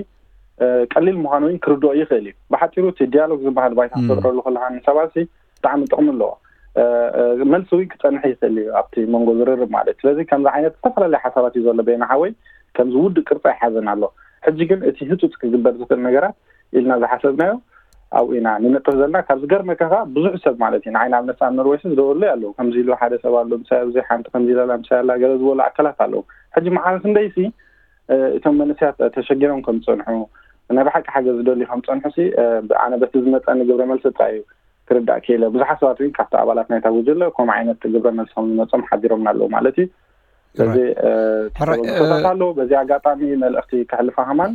ቀሊል ምዃኑ እውን ክርድኦ ይኽእል እዩ። ብሓፂሩ እቲ ዲያሎግ ዝበሃል ባይታ ክትፈጥረሉ ከለካ ንሰባሲ ብጣዕሚ ጥቕሚ ኣለዎ። መልሲ እውን ክፀንሕ ይኽእል እዩ ኣብቲ መንጎ ዝርርብ ማለት። ስለዚ ከምዚ ዓይነት ዝተፈላለዩ ሓሳባት እዩ ዘሎ በየነ ሓወይ። ከምዚ ውድእ ቅርፂ ኣይሓዘን ኣሎ። ሕጂ ግን እቲ ህፁፅ ክግበር ዝኽእል ነገራት ኢልና ዝሓሰብናዮ ኣብኡ ኢና ንነጥፍ ዘለና። ካብ ዝገርመካ ከዓ ብዙሕ ሰብ ማለት እዩ ንዓይ ንኣብነት ኣብ ኖርወይ ዝደወሉለይ ኣለዉ። ከምዚ ኢሉ ሓደ ሰብ ኣሎ ምሳይ ኣብዚ ሓንቲ ከምዚ ኢላላ ምሳይ ኣላ ገለ ዝበሉ ኣካላት ኣለዉ። ሕጂ መዓረ ክንደይሲ እቶም መንእሰያት ተሸጊሮም ከም ዝፀንሑ ናይ ብሓቂ ሓገዝ ዝደልዩ ከም ዝፀንሑ ሲ ኣነ በቲ ዝመፀኒ ግብረ መልሲ ጥራይ እዩ ክርዳእ ክኢለ። ብዙሓት ሰባት እውን ካብቲ ኣባላት ናይታ ጉጅለ ከምኡ ዓይነት ግብረ መልሲ ከም ዝመፆም ሓቢሮምና ኣለዉ ማለት እዩ። ስለዚ ተበግሶታት ኣለዉ። በዚ ኣጋጣሚ መልእኽቲ ከሕልፋ ከማን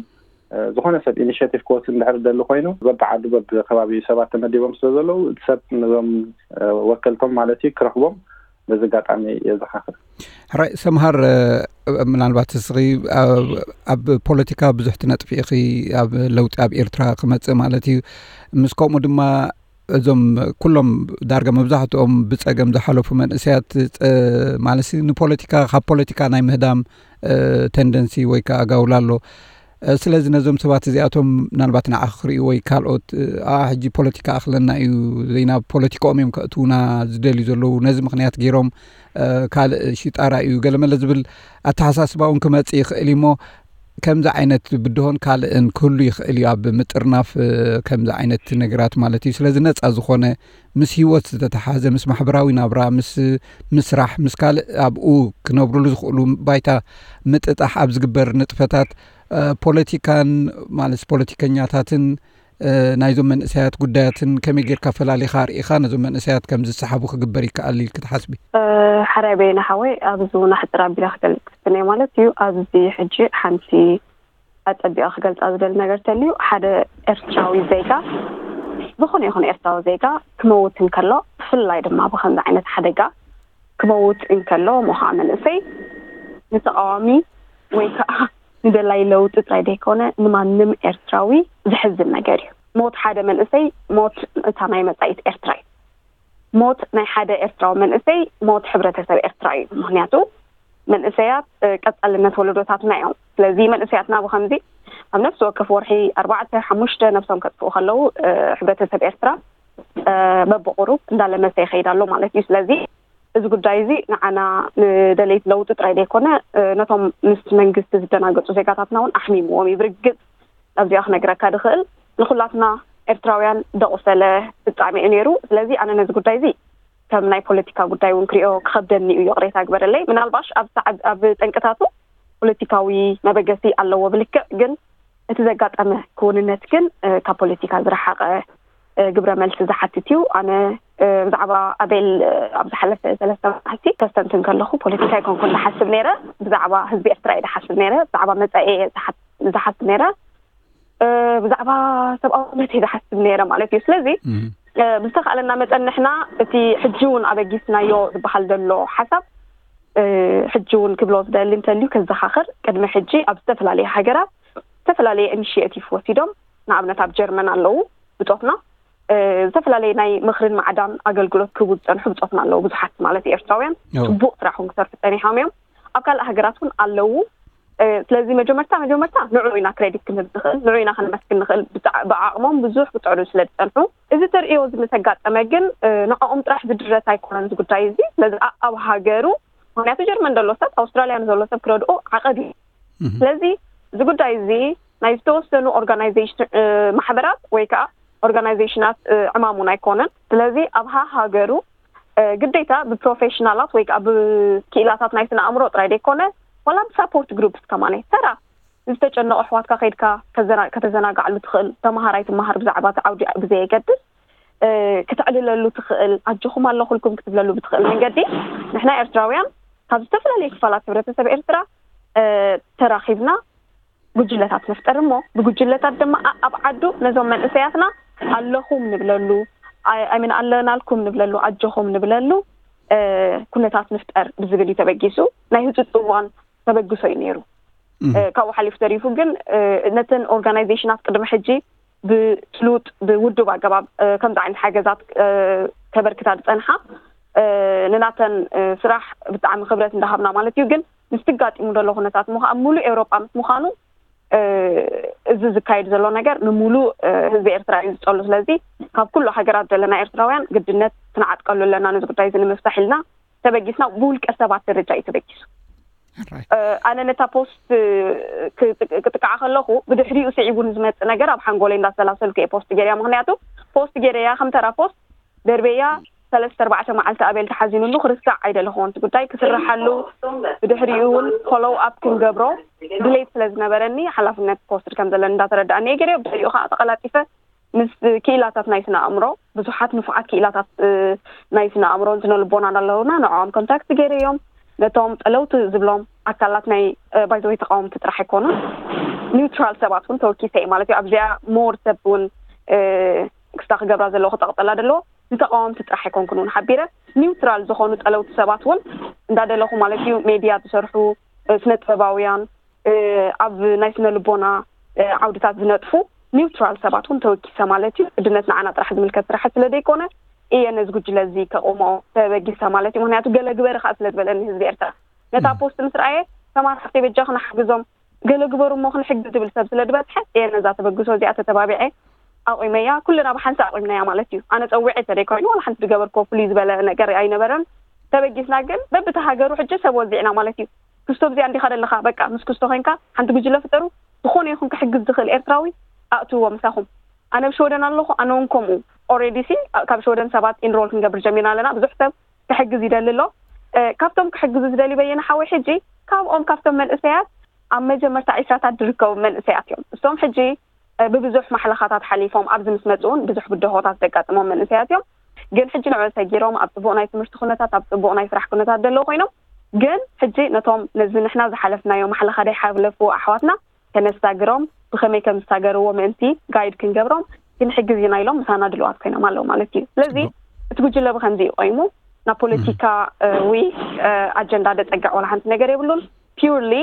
ዝኾነ ሰብ ኢኒሽቲቭ ክወስድ እንድሕር ደሊ ኮይኑ በብዓዱ በብከባቢ ሰባት ተመዲቦም ስለ ዘለዉ እቲ ሰብ ነዞም ወከልቶም ማለት እዩ ክረኽቦም በዚ ኣጋጣሚ የዘኻኽር። ሕራይ ሰምሃር፣ ምናልባት እስኺ ኣብ ፖለቲካ ብዙሕ ትነጥፊ ኢኺ፣ ኣብ ለውጢ ኣብ ኤርትራ ክመጽእ ማለት እዩ። ምስ ከምኡ ድማ እዞም ኩሎም ዳርጋ መብዛሕትኦም ብጸገም ዝሓለፉ መንእሰያት ማለት ንፖለቲካ ካብ ፖለቲካ ናይ ምህዳም ተንደንሲ ወይ ከዓ ኣጋውላ ኣሎ። ስለዚ ነዞም ሰባት እዚኣቶም ምናልባት ንዓ ክርእዩ ወይ ካልኦት ኣ ሕጂ ፖለቲካ ኣኽለና እዩ ዘይናብ ፖለቲካኦም እዮም ከእትውና ዝደልዩ ዘለዉ ነዚ ምክንያት ገይሮም ካልእ ሽጣራ እዩ ገለመለ ዝብል ኣተሓሳስባ እውን ክመፅእ ይኽእል እዩ እሞ ከምዚ ዓይነት ብድሆን ካልእን ክህሉ ይኽእል እዩ፣ ኣብ ምጥርናፍ ከምዚ ዓይነት ነገራት ማለት እዩ። ስለዚ ነፃ ዝኾነ ምስ ህይወት ዝተተሓዘ፣ ምስ ማሕበራዊ ናብራ፣ ምስ ምስራሕ፣ ምስ ካልእ ኣብኡ ክነብሩሉ ዝኽእሉ ባይታ ምጥጣሕ ኣብ ዝግበር ንጥፈታት ፖለቲካን ማለት ፖለቲከኛታትን ናይዞም መንእሰያት ጉዳያትን ከመይ ጌርካ ፈላሊኻ ኣርኢኻ ነዞም መንእሰያት ከም ዝሰሓቡ ክግበር ይከኣል ኢልክ ትሓስቢ? ሓራይ በየነ ሓወይ፣ ኣብዚ እውን ኣሕፅር ኣቢለ ክገልፅ ክፍትን እየ ማለት እዩ። ኣብዚ ሕጂ ሓንቲ ኣፀቢቐ ክገልፃ ዝደሊ ነገር ተልዩ፣ ሓደ ኤርትራዊ ዜጋ፣ ዝኾነ ይኹን ኤርትራዊ ዜጋ ክመውት እንከሎ፣ ብፍላይ ድማ ብኸምዚ ዓይነት ሓደጋ ክመውት እንከሎ፣ እሞ ከዓ መንእሰይ ንተቃዋሚ ወይ ከዓ ንደላይ ለውጢ ጥራይ ዘይኮነ ንማንም ኤርትራዊ ዘሕዝን ነገር እዩ። ሞት ሓደ መንእሰይ ሞት እታ ናይ መጻኢት ኤርትራ እዩ። ሞት ናይ ሓደ ኤርትራዊ መንእሰይ ሞት ሕብረተሰብ ኤርትራ እዩ። ምክንያቱ መንእሰያት ቀጻልነት ወለዶታትና እዮም። ስለዚ መንእሰያትና ብከምዚ ኣብ ነፍሲ ወከፍ ወርሒ ኣርባዕተ ሓሙሽተ ነብሶም ከጥፍኡ ከለዉ፣ ሕብረተሰብ ኤርትራ በብቁሩብ እንዳለመሰ ይኸይድ ኣሎ ማለት እዩ። ስለዚ እዚ ጉዳይ እዚ ንዓና ንደለይቲ ለውጢ ጥራይ ዘይኮነ፣ ነቶም ምስ መንግስቲ ዝደናገጹ ዜጋታትና እውን ኣሕሚምዎም እዩ። ብርግጽ ኣብዚኣ ክነግረካ ድኽእል ንኹላትና ኤርትራውያን ደቑሰለ ፍጻሜ እዩ ነይሩ። ስለዚ ኣነ ነዚ ጉዳይ እዚ ከም ናይ ፖለቲካ ጉዳይ እውን ክሪኦ ክኸብደኒ እዩ፣ ይቕሬታ ግበረለይ። ምናልባሽ ኣብ ሰዓብ-፣ ኣብ ጠንቅታቱ ፖለቲካዊ መበገሲ ኣለዎ ብልክዕ፣ ግን እቲ ዘጋጠመ ክውንነት ግን ካብ ፖለቲካ ዝረሓቐ ግብረ መልሲ ዝሓትት እዩ። ኣነ ብዛዕባ ኣቤል ኣብ ዝሓለፈ ሰለስተ መዓልቲ ከስተንትን ከለኹ ፖለቲካ ኣይኮንኩን ዝሓስብ ነይረ። ብዛዕባ ህዝቢ ኤርትራ እየ ዝሓስብ ነይረ። ብዛዕባ መጻኢ እየ ዝሓስብ ነይረ። ብዛዕባ ሰብኣውነት እየ ዝሓስብ ነይረ ማለት እዩ። ስለዚ ብዝተኻእለና መጠን ንሕና እቲ ሕጂ እውን ኣበጊስናዮ ዝበሃል ዘሎ ሓሳብ ሕጂ እውን ክብሎ ዝደሊ እንተልዩ ከዘኻኽር፣ ቅድሚ ሕጂ ኣብ ዝተፈላለየ ሃገራት ዝተፈላለየ ኢኒሽቲቭ ወሲዶም፣ ንኣብነት ኣብ ጀርመን ኣለዉ ብጾትና፣ ዝተፈላለየ ናይ ምኽርን ማዕዳን ኣገልግሎት ክህቡ ዝጸንሑ ብጾትና ኣለዉ፣ ብዙሓት ማለት ኤርትራውያን ጽቡቕ ስራሕ እውን ክሰርሑ ጸኒሖም እዮም። ኣብ ካልእ ሃገራት እውን ኣለዉ። ስለዚ መጀመርታ መጀመርታ ንዑ ኢና ክሬዲት ክንህብ ንኽእል፣ ንዑ ኢና ከነመስግን ንኽእል። ብዓቕሞም ብዙሕ ክጽዕሩ ስለ ዝጸንሑ፣ እዚ ተርእዮ እዚ ምስ ኣጋጠመ ግን ንዕኦም ጥራሕ ዝድረት ኣይኮነን እዚ ጉዳይ እዚ። ስለዚ ኣብ ሃገሩ፣ ምክንያቱ ጀርመን ዘሎ ሰብ ኣውስትራልያ ንዘሎ ሰብ ክረድኦ ዓቐብ እዩ። ስለዚ እዚ ጉዳይ እዚ ናይ ዝተወሰኑ ኦርጋናይዜሽን፣ ማሕበራት ወይ ከዓ ኦርጋናይዜሽናት ዕማሙን ኣይኮነን። ስለዚ ኣብ ሃገሩ ግዴታ ብፕሮፌሽናላት ወይ ከዓ ብክኢላታት ናይ ስነ ኣእምሮ ጥራይ ዘይኮነ፣ ዋላ ብሳፖርት ግሩፕስ ከማን ተራ ዝተጨነቑ ኣሕዋትካ ከይድካ ከተዘናግዓሉ ትኽእል። ተምሃራይ ትምሃር ብዛዕባ እቲ ዓውዲ ብዘየገድስ፣ ክተዕልለሉ ትኽእል፣ ኣጆኹም ኣለኹልኩም ክትብለሉ ብትኽእል መንገዲ፣ ንሕና ኤርትራውያን ካብ ዝተፈላለዩ ክፋላት ሕብረተሰብ ኤርትራ ተራኺብና ጉጅለታት ንፍጠር እሞ፣ ብጉጅለታት ድማ ኣብ ዓዱ ነዞም መንእሰያትና ኣለኹም ንብለሉ፣ ኣይምን ኣለናልኩም ንብለሉ፣ ኣጆኹም ንብለሉ ኩነታት ንፍጠር ብዝብል እዩ ተበጊሱ። ናይ ህፁፅ እዋን ተበግሶ እዩ ነይሩ። ካብኡ ሓሊፉ ተሪፉ ግን ነተን ኦርጋናይዜሽናት ቅድሚ ሕጂ ብስሉጥ ብውዱብ ኣገባብ ከምዚ ዓይነት ሓገዛት ከበርክታ ዝፀንሓ፣ ንናተን ስራሕ ብጣዕሚ ክብረት እንዳሃብና ማለት እዩ። ግን ምስቲ ጋጢሙ ዘሎ ኩነታት ምዃ-፣ ኣብ ሙሉእ ኤውሮጳ ምስ ምዃኑ፣ እዚ ዝካየድ ዘሎ ነገር ንሙሉእ ህዝቢ ኤርትራ እዩ ዝጸሉ። ስለዚ ካብ ኩሉ ሃገራት ዘለና ኤርትራውያን ግድነት ክንዓጥቀሉ ኣለና፣ ነዚ ጉዳይ እዚ ንምፍታሕ ኢልና ተበጊስና። ብውልቀ ሰባት ደረጃ እዩ ተበጊሱ። ኣነ ነታ ፖስት ክጥቃዓ ከለኹ ብድሕሪኡ ስዒቡ ንዝመጽእ ነገር ኣብ ሓንጎለይ እንዳሰላሰልኩ እየ ፖስት ገይርያ። ምክንያቱ ፖስት ገይረያ ከም ተራ ፖስት ደርበያ ሰለስተ ኣርባዕተ መዓልቲ ኣቤል ተሓዚኑሉ ክርስዕ ኣይደለኹዎን። እቲ ጉዳይ ክስርሓሉ ብድሕሪኡ እውን ፎሎው ኣፕ ክንገብሮ ድሌት ስለ ዝነበረኒ ሓላፍነት ክወስድ ከም ዘለኒ እንዳተረዳእኒ እየ ገይረዮ። ብድሕሪኡ ከዓ ተቐላጢፈ ምስ ክኢላታት ናይ ስነ ኣእምሮ፣ ብዙሓት ንፉዓት ክኢላታት ናይ ስነ ኣእምሮን ስነ ልቦናን ኣለውና፣ ንዕኦም ኮንታክት ገይረዮም። ነቶም ጠለውቲ ዝብሎም ኣካላት ናይ ባይዘወይ ተቃወምቲ ጥራሕ ኣይኮኑን፣ ኒውትራል ሰባት እውን ተወኪሰ እየ ማለት እዩ። ኣብዚኣ ሞር ሰብ እውን ክስታ ክገብራ ዘለዎ ክጠቕጠላ ዘለዎ ንተቃወምቲ ጥራሕ ኣይኮንኩን እውን ሓቢረ፣ ኒውትራል ዝኾኑ ጠለውቲ ሰባት እውን እንዳደለኹ ማለት እዩ። ሜድያ ዝሰርሑ፣ ስነ ጥበባውያን፣ ኣብ ናይ ስነ ልቦና ዓውድታት ዝነጥፉ ኒውትራል ሰባት እውን ተወኪሰ ማለት እዩ። ግድነት ንዓና ጥራሕ ዝምልከት ስራሕት ስለ ዘይኮነ እየ ነዚ ጉጅለ እዚ ከቑሞ ተበጊሰ ማለት እዩ። ምክንያቱ ገለ ግበሪ ከዓ ስለ ዝበለኒ ህዝቢ ኤርትራ ነታ ፖስት ምስ ረኣየ፣ ተማር ሓፍተይ በጃ ክንሓግዞም፣ ገለ ግበሩ እሞ ክንሕግዝ ዝብል ሰብ ስለ ዝበዝሐ እየ ነዛ ተበግሶ እዚኣ ተተባቢዐ ኣቑመያ። ኩልና ብሓንሳእ ኣቑምናያ ማለት እዩ። ኣነ ጸዊዐ ተደይኮይኑ ዋላ ሓንቲ ዝገበርክዎ ፍሉይ ዝበለ ነገር ኣይነበረን። ተበጊስና ግን በብቲ ሃገሩ ሕጂ ሰብ ወዚዕና ማለት እዩ። ክስቶ ብዚኣ እንዲኻ ደለኻ፣ በቃ ምስ ክስቶ ኮይንካ ሓንቲ ጉጅለ ፍጠሩ፣ ዝኾነ ይኹን ክሕግዝ ዝኽእል ኤርትራዊ ኣእትዎ ምሳኹም። ኣነ ኣብ ሽወደን ኣለኹ፣ ኣነ እውን ከምኡ። ኦሬዲ ሲ ካብ ሽወደን ሰባት ኢንሮል ክንገብር ጀሚርና ኣለና። ብዙሕ ሰብ ክሕግዝ ይደሊ ኣሎ። ካብቶም ክሕግዙ ዝደልዩ በየነ ሓወይ፣ ሕጂ ካብኦም ካብቶም መንእሰያት ኣብ መጀመርታ ዒስራታት ዝርከቡ መንእሰያት እዮም። እሶም ሕጂ ብብዙሕ ማሕለኻታት ሓሊፎም ኣብዚ ምስ መፁ እውን ብዙሕ ብድሆታት ዘጋጥሞም መንእሰያት እዮም። ግን ሕጂ ንዕኡ ሰጊሮም ኣብ ፅቡቕ ናይ ትምህርቲ ኩነታት፣ ኣብ ፅቡቕ ናይ ስራሕ ኩነታት ዘለዉ ኮይኖም፣ ግን ሕጂ ነቶም ነዚ ንሕና ዝሓለፍናዮ ማሕለኻ ደይሓለፉ ኣሕዋትና ከነሳግሮም፣ ብኸመይ ከም ዝሳገርዎ ምእንቲ ጋይድ ክንገብሮም ክንሕግዝ ኢና ኢሎም ምሳና ድልዋት ኮይኖም ኣለዉ ማለት እዩ። ስለዚ እቲ ጉጅለ ብኸምዚ እዩ ቆይሙ። ናብ ፖለቲካ ወይ ኣጀንዳ ደጸግዕ ዋላ ሓንቲ ነገር የብሉን። ፒውርሊ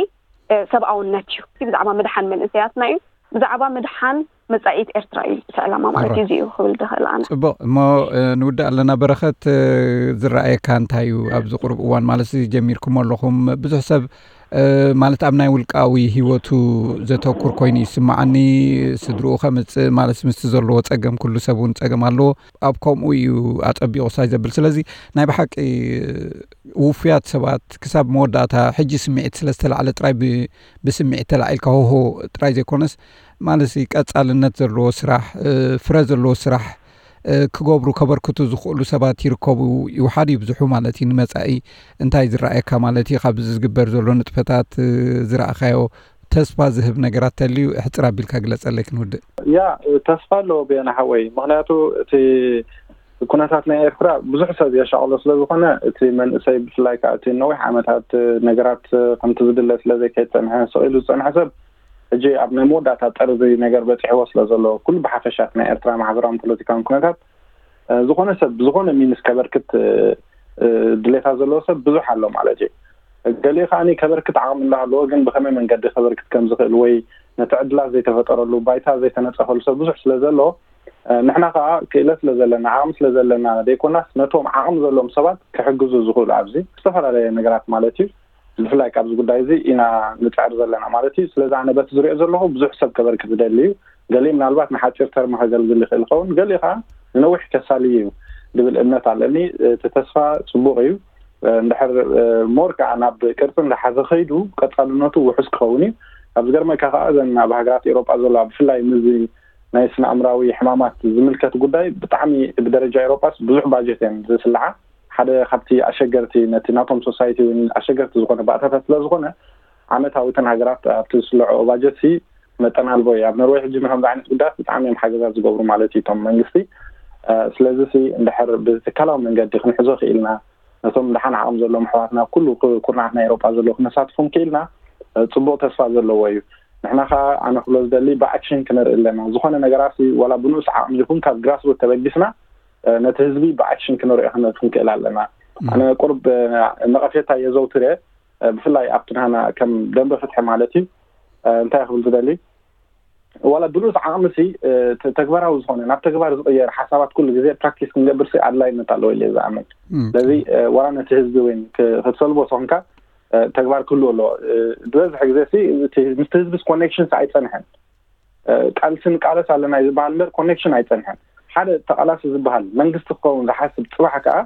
ሰብኣውነት እዩ። ብዛዕባ ምድሓን መንእሰያትና እዩ። ብዛዕባ ምድሓን መጻኢት ኤርትራ እዩ እቲ ዕላማ ማለት እዩ። እዚ እዩ ክብል ዝኽእል ኣነ። ጽቡቕ እሞ፣ ንውዳእ ኣለና። በረኸት፣ ዝረኣየካ እንታይ እዩ ኣብዚ ቁሩብ እዋን ማለት ጀሚርኩሞ ኣለኹም? ብዙሕ ሰብ ማለት ኣብ ናይ ውልቃዊ ህይወቱ ዘተኩር ኮይኑ ይስምዓኒ። ስድርኡ ከምጽእ ማለት ምስቲ ዘለዎ ጸገም፣ ኩሉ ሰብ እውን ጸገም ኣለዎ። ኣብ ከምኡ እዩ ኣጸቢቑ ሳይ ዘብል። ስለዚ ናይ ብሓቂ ውፉያት ሰባት ክሳብ መወዳእታ ሕጂ ስምዒት ስለ ዝተላዕለ ጥራይ ብ-፣ ብስምዒት ተላዒልካ ሆሆ ጥራይ ዘይኮነስ ማለት ቀጻልነት ዘለዎ ስራሕ፣ ፍረ ዘለዎ ስራሕ ክገብሩ ከበርክቱ ዝኽእሉ ሰባት ይርከቡ። ይውሓድ ይብዝሑ ማለት እዩ። ንመጻኢ እንታይ ዝረኣየካ ማለት እዩ? ካብዚ ዝግበር ዘሎ ንጥፈታት ዝረኣኻዮ ተስፋ ዝህብ ነገራት ተልዩ ሕጽር ኣቢልካ ግለጸለይ ክንውድእ። ያ፣ ተስፋ ኣለዎ በየነ ሓወይ። ምኽንያቱ እቲ ኩነታት ናይ ኤርትራ ብዙሕ ሰብ የሻቕሎ ስለ ዝኾነ፣ እቲ መንእሰይ ብፍላይ ከዓ እቲ ነዊሕ ዓመታት ነገራት ከምቲ ዝድለ ስለ ዘይከይጸንሐ ስቕ ኢሉ ዝጸንሐ ሰብ ሕጂ ኣብ ናይ መወዳእታ ጠርዚ ነገር በጺሕዎ ስለ ዘሎ፣ ኩሉ ብሓፈሻት ናይ ኤርትራ ማሕበራውን ፖለቲካውን ኩነታት፣ እ፣ ዝኾነ ሰብ ብዝኾነ ሚንስ ከበርክት፣ እ፣ እ፣ ድሌታት ዘለዎ ሰብ ብዙሕ ኣሎ ማለት እዩ። ገሊኡ ከዓኒ ከበርክት ዓቕሚ እንዳሃለዎ ግን ብኸመይ መንገዲ ከበርክት ከም ዝኽእል ወይ ነቲ ዕድላት ዘይተፈጠረሉ ባይታ ዘይተነጸፈሉ ሰብ ብዙሕ ስለ ዘሎ፣ እ፣ ንሕና ከኣ ክእለት ስለ ዘለና ዓቕሚ ስለ ዘለና ዘይኮናስ ነቶም ዓቕሚ ዘለዎም ሰባት ክሕግዙ ዝኽእሉ ኣብዚ ዝተፈላለየ ነገራት ማለት እዩ። ብፍላይ ካብዚ ጉዳይ እዚ ኢና ንጽዕር ዘለና ማለት እዩ። ስለዚ ኣነ በቲ ዝሪኦ ዘለኹ ብዙሕ ሰብ ከበርክት ዝደሊ እዩ። ገሊኡ ምናልባት ንሓጺር ተርም ከገልግል ይኽእል ይኸውን፣ ገሊኡ ከዓ ንነዊሕ ከሳሊ እዩ ዝብል እምነት ኣለኒ። እቲ ተስፋ ጽቡቕ እዩ። እንድሕር ሞር ከዓ ናብ ቅርጺ እንዳሓዘ ከይዱ ቀጻልነቱ ውሑስ ክኸውን እዩ። ኣብ ዝገርመካ ከዓ እዘን ኣብ ሃገራት ኤውሮጳ ዘለዋ ብፍላይ ምዚ ናይ ስነ ኣእምራዊ ሕማማት ዝምልከት ጉዳይ ብጣዕሚ ብደረጃ ኤውሮጳስ ብዙሕ ባጀት እየን ዝስልዓ። ሓደ ካብቲ ኣሸገርቲ ነቲ ናቶም ሶሳይቲ እውን ኣሸገርቲ ዝኾነ ባእታታት ስለ ዝኾነ ዓመታዊ እተን ሃገራት ኣብቲ ዝስልዖ ባጀት ሲ መጠን ኣልቦ እዩ። ኣብ ኖርዌይ ሕጂ ንከምዚ ዓይነት ጉዳያት ብጣዕሚ እዮም ሓገዛት ዝገብሩ ማለት እዩ እቶም መንግስቲ። እ፣ ስለዚ ሲ እንድሕር ብትካላዊ መንገዲ ክንሕዞ ክኢልና ነቶም ደሓን ዓቕሚ ዘለዎም ኣሕዋትና ኣብ ኩሉ ኩ-፣ ኩርናዓት ናይ ኤውሮጳ ዘለዉ ክነሳትፎም ክኢልና፣ እ፣ ጽቡቕ ተስፋ ዘለዎ እዩ። ንሕና ከኣ ኣነ ክብሎ ዝደሊ ብኣክሽን ክንርኢ ኣለና። ዝኾነ ነገራት ሲ ዋላ ብንኡስ ዓቕሚ ይኹን ካብ ግራስሩት ተበጊስና፣ እ፣ ነቲ ህዝቢ ብኣክሽን ክንሪኦ ክን-፣ ክንክእል ኣለና። ኣነ ቁሩብ፣ እ፣ ነቐፌታ የዘውትር እየ፣ እ፣ ብፍላይ ኣብቲ ናህና ከም ደንበ ፍትሒ ማለት እዩ። እ፣ እንታይ ክብል ዝደሊ፣ ዋላ ብሉጽ ዓቕሚ ሲ፣ እ፣ ተ-፣ ተግባራዊ ዝኾነ፣ ናብ ተግባር ዝቕየር ሓሳባት ኩሉ ግዜ ፕራክቲስ ክንገብር ሲ ኣድላይነት ኣለዎ ኢለ እየ ዝኣምን። እም። ስለዚ፣ እ፣ ዋላ ነቲ ህዝቢ እውን ክ-፣ ክትሰልቦ ተኾንካ፣ እ፣ ተግባር ክህሉ ኣለዎ። እ፣ ዝበዝሕ ግዜ ሲ፣ እቲ ምስቲ ህዝቢ ኮኔክሽን ሲ ኣይጸንሐን። እ፣ ቃልሲ ንቃለስ ኣለና እዩ ዝበሃል እምበር ኮኔክሽን ኣይጸንሐን። ሓደ ተቓላሲ ዝበሃል መንግስቲ ክኸውን ዝሓስብ ጽባሕ ከኣ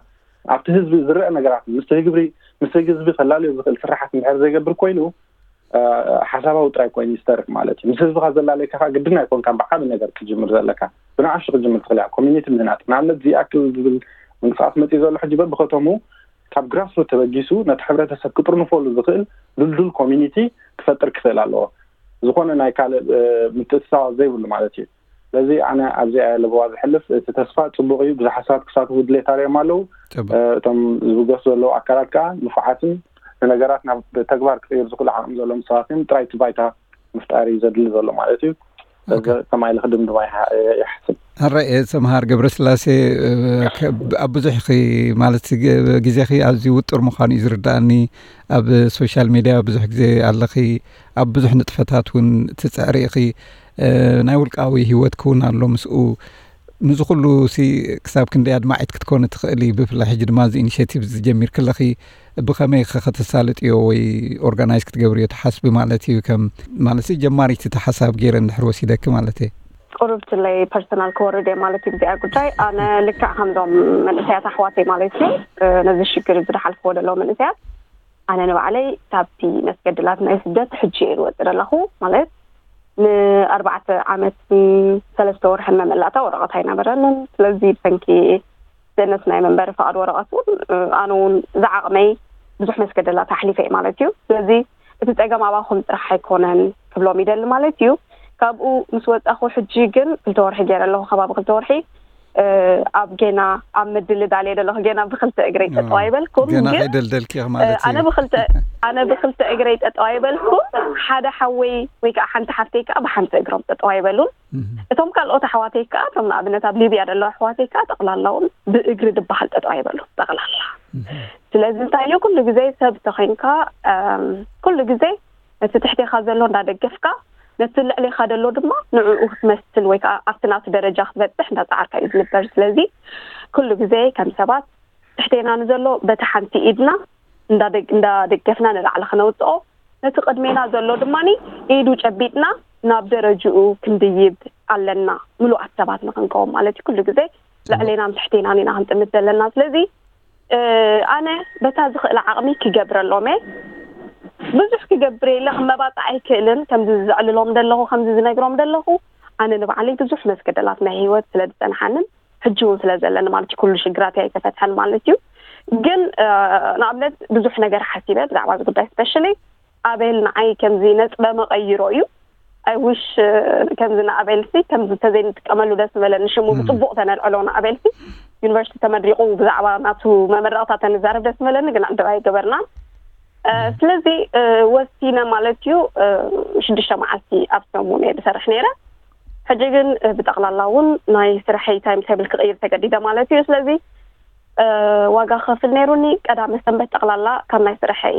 ኣብቲ ህዝቢ ዝረአ ነገራት ምስቲ ህግብሪ-፣ ምስቲ ህዝቢ ከላልዮ ዝኽእል ስራሓት እንድሕር ዘይገብር ኮይኑ፣ እ፣ ሓሳባዊ ጥራይ ኮይኑ ይስተርፍ ማለት እዩ። ምስ ህዝብኻ ዘላለየካ ከኣ ግድን ኣይኮንካን ብዓቢ ነገር ክትጅምር ዘለካ። ብንኣሽቱ ክትጅምር ትኽእል እያ። ኮሚኒቲ ምህናጽ። ንኣብነት ዝኣክል ዝብል ምንቅስቓስ መጺኡ ዘሎ ሕጂ በብኸተሙ ካብ ግራስሩት ተበጊሱ ነቲ ሕብረተሰብ ክጥርንፈሉ ዝኽእል ድልዱል ኮሚኒቲ ክፈጥር ክኽእል ኣለዎ። ዝኾነ ናይ ካልእ፣ እ፣ ምትእትታዋት ዘይብሉ ማለት እዩ። ስለዚ ኣነ ኣብዚኣ እየ ለበዋ ዝሕልፍ። እቲ ተስፋ ጽቡቕ እዩ። ብዙሓት ሰባት ክሳተፉ ድሌት ኣርእዮም ኣለዉ። ጽቡቕ። እ፣ እቶም ዝብገሱ ዘለዉ ኣካላት ከኣ ንፉዓትን ንነገራት ናብ ተግባር ክቕይሩ ዝኽእሉ ዓቕሚ ዘለዎም ሰባት እዮም። ጥራይ እቲ ባይታ ምፍጣር እዩ ዘድሊ ዘሎ ማለት እዩ። ስለዚ ኦኬ። ከማይ ኢለ ክድምድማ ይሓ-፣ ይሓስብ። ሕራይ እየ ሰምሃር ገብረስላሴ፣ እ፣ ከ-፣ ኣብ ብዙሕ ኢኺ ማለት ግ-፣ ግዜኺ ኣዝዩ ውጡር ምዃኑ እዩ ዝርድኣኒ። ኣብ ሶሻል ሜድያ ብዙሕ ግዜ ኣለኺ፣ ኣብ ብዙሕ ንጥፈታት እውን ትጽዕሪ ኢኺ። እ፣ ናይ ውልቃዊ ህይወትኪ እውን ኣሎ ምስኡ። ንዚ ኩሉ ሲ ክሳብ ክንደይ ኣድማዒት ክትኮኒ ትኽእሊ? ብፍላይ ሕጂ ድማ እዚ ኢኒሼቲቭ እዚ ጀሚርኪ ኣለኺ፣ ብኸመይ ኸ ከተሳልጥዮ ወይ ኦርጋናይዝ ክትገብርዮ ትሓስቢ ማለት እዩ? ከም ማለት ሲ ጀማሪት እቲ ሓሳብ ገይረ እንድሕር ወሲደኪ ማለት እየ። ቁሩብ ትለይ ፐርሰናል ክወርድ እየ ማለት እዩ ብዚኣ ጉዳይ። ኣነ ልክዕ ከምዞም መንእሰያት ኣሕዋተይ ማለት እዩ፣ እ፣ ነዚ ሽግር እዚ ዝሓልፍዎ ዘለዉ መንእሰያት ኣነ ንባዕለይ ካብቲ መስገድላት ናይ ስደት ሕጂ እየ ዝወፅእ ዘለኹ። ማለት ንኣርባዕተ ዓመት ሰለስተ ወርሕን መመላእታ ወረቐት ኣይነበረንን። ስለዚ ብሰንኪ ስእነት ናይ መንበሪ ፍቓድ ወረቐት እውን ኣነ እውን ዝዓቕመይ ብዙሕ መስገደላት ኣሕሊፈ እየ ማለት እዩ። ስለዚ እቲ ፀገም ኣባኹም ጥራሕ ኣይኮነን ክብሎም ይደሊ ማለት እዩ። ካብኡ ምስ ወፃኹ ሕጂ ግን ክልተ ወርሒ ገይረ ኣለኹ፣ ከባቢ ክልተ ወርሒ ኣብ ጌና ኣብ ምድልዳል እየ ዘለኹ። ጌና ብክልተ እግረይ ጠጠው ኣይበልኩም። ገና ከይደልደልኪ ኢኺ ማለት እዩ። ኣነ ብክልተ እግረይ ጠጠው ኣይበልኩም። ሓደ ሓወይ ወይ ከዓ ሓንቲ ሓፍተይ ከዓ ብሓንቲ እግሮም ጠጠው ኣይበሉን። እቶም ካልኦት ኣሕዋተይ ከዓ፣ እቶም ንኣብነት ኣብ ሊብያ ዘለዉ ኣሕዋተይ ከዓ ጠቕላላውን ብእግሪ ዝበሃል ጠጠው ኣይበሉ ጠቕላላ። ስለዚ እንታይ እዩ፣ ኩሉ ግዜ ሰብ ተኮይንካ ኩሉ ግዜ ነቲ ትሕቴኻ ዘሎ እንዳደገፍካ፣ ነቲ ልዕሌኻ ዘሎ ድማ ንዕኡ ክትመስል ወይ ከዓ ኣብቲ ናቱ ደረጃ ክትበፅሕ እንዳፃዓርካ እዩ ዝንበር። ስለዚ ኩሉ ግዜ ከም ሰባት ትሕቴና ንዘሎ በቲ ሓንቲ ኢድና እንዳደገፍና ንላዕሊ ክነውፅኦ፣ ነቲ ቅድሜና ዘሎ ድማ ኢዱ ጨቢጥና ናብ ደረጅኡ ክንድይብ ኣለና። ምሉኣት ሰባት ንክንከውን ማለት እዩ። ኩሉ ግዜ ልዕሌናን ትሕቴናን ኢና ክንጥምት ዘለና። ስለዚ ኣነ በታ ዝኽእል ዓቕሚ ክገብረሎም እየ። ብዙሕ ክገብር የለ፣ ክመባፃዕ ኣይክእልን። ከምዚ ዘዕልሎም ዘለኹ፣ ከምዚ ዝነግሮም ዘለኹ፣ ኣነ ንባዕለይ ብዙሕ መስገደላት ናይ ህይወት ስለ ዝፀንሓንን ሕጂ እውን ስለ ዘለኒ ማለት እዩ። ኩሉ ሽግራት ኣይተፈትሐን ማለት እዩ። ግን ንኣብነት ብዙሕ ነገር ሓሲበ ብዛዕባ እዚ ጉዳይ፣ ስፔሻሊ ኣቤል ንዓይ ከምዚ ነጥበ መቐይሮ እዩ። ኣይ ዊሽ ከምዚ ንኣቤልሲ ከምዚ ተዘይንጥቀመሉ ደስ ዝበለኒ፣ ሽሙ ብፅቡቕ ተነልዕሎ ንኣቤልሲ። ዩኒቨርሲቲ ተመሪቑ ብዛዕባ ናቱ መመረቕታ ተንዛረብ ደስ ዝበለኒ፣ ግን ዕድል ኣይገበርናን። ስለዚ ወሲነ ማለት እዩ። ሽዱሽተ መዓልቲ ኣብ ሰሙን እየ ዝሰርሕ ነይረ። ሕጂ ግን ብጠቕላላ እውን ናይ ስርሐይ ታይም ቴብል ክቕይር ተገዲደ ማለት እዩ። ስለዚ ዋጋ ክኸፍል ነይሩኒ። ቀዳመ ሰንበት ጠቕላላ ካብ ናይ ስርሐይ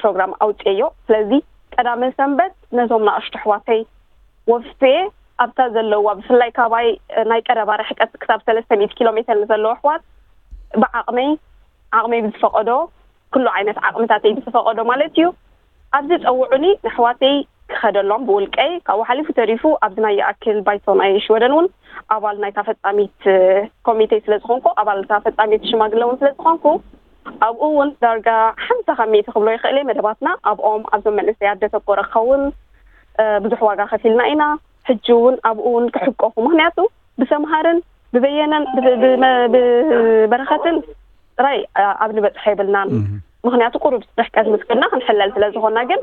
ፕሮግራም ኣውፅኤዮ። ስለዚ ቀዳመ ሰንበት ነዞም ንኣሽቱ ኣሕዋተይ ወፍየ ኣብታ ዘለዋ፣ ብፍላይ ካባይ ናይ ቀረባ ርሕቀት ክሳብ ሰለስተ ሚእቲ ኪሎ ሜተር ንዘለዉ ኣሕዋት ብዓቕመይ ዓቕመይ ብዝፈቐዶ፣ ኩሉ ዓይነት ዓቕምታተይ ብዝፈቐዶ ማለት እዩ፣ ኣብዚ ጸውዑኒ ንኣሕዋተይ ክኸደሎም ብውልቀይ። ካብኡ ሓሊፉ ተሪፉ ኣብዚ ናይ ይኣክል ባይቶ ናይ ሽወደን እውን ኣባል ናይታ ፈጻሚት ኮሚቴ ስለ ዝኾንኩ፣ ኣባል እታ ፈጻሚት ሽማግለ እውን ስለ ዝኾንኩ፣ ኣብኡ እውን ዳርጋ ሓምሳ ካብ ሚእቲ ክብሎ ይኽእል እየ። መደባትና ኣብኦም ኣብዞም መንእሰያት ዘተኮረ ክኸውን ብዙሕ ዋጋ ከፊልና ኢና። ሕጂ እውን ኣብኡ እውን ክሕቆፉ፣ ምኽንያቱ ብሰምሃርን ብበየነን ብበረኸትን ጥራይ ኣብ ንበፅሖ የብልናን። ምኽንያቱ ቁሩብ ርሕቀት ምስ ከድና ክንሕለል ስለ ዝኾንና። ግን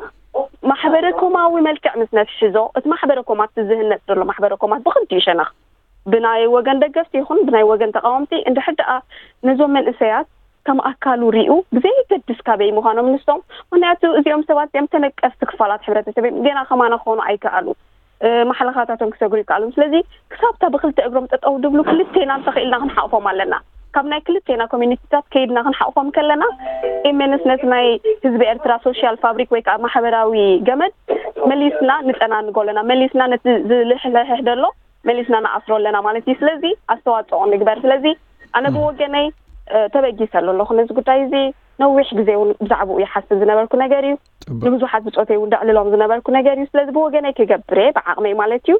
ማሕበረ ኮማዊ መልክዕ ምስ ነትሕዞ፣ እቲ ማሕበረ ኮማት ዝህነፅ ዘሎ ማሕበረ ኮማት ብኽልቲኡ ሸነኽ ብናይ ወገን ደገፍቲ ይኹን ብናይ ወገን ተቃወምቲ እንድሕር ደኣ ነዞም መንእሰያት ከም ኣካሉ ሪኡ ብዘይገድስ ካበይ ምዃኖም ንሶም፣ ምኽንያቱ እዚኦም ሰባት እዚኦም ተነቀፍቲ ክፋላት ሕብረተሰብ እዮም። ገና ከማና ክኾኑ ኣይከኣሉ፣ ማሕለኻታቶም ክሰግሩ ይከኣሉ። ስለዚ ክሳብታ ብክልተ እግሮም ጠጠው ድብሉ ክልቴና እንተኽኢልና ክንሓቕፎም ኣለና። ካብ ናይ ክልቴና ኮሚኒቲታት ከይድና ክንሓቕፎም ከለና ኢሜንስ ነቲ ናይ ህዝቢ ኤርትራ ሶሻል ፋብሪክ ወይ ከዓ ማሕበራዊ ገመድ መሊስና ንጠናንጎ ኣለና። መሊስና ነቲ ዝልሕልሕሕ ደሎ መሊስና ንኣስሮ ኣለና ማለት እዩ። ስለዚ ኣስተዋፅኦ ንግበር። ስለዚ ኣነ ብወገነይ ተበጊሰ ኣሎ ኣለኹ ነዚ ጉዳይ እዚ። ነዊሕ ግዜ እውን ብዛዕባኡ ይሓስብ ዝነበርኩ ነገር እዩ። ንብዙሓት ብፆተይ እውን ደዕልሎም ዝነበርኩ ነገር እዩ። ስለዚ ብወገነይ ክገብር እየ ብዓቕመይ ማለት እዩ።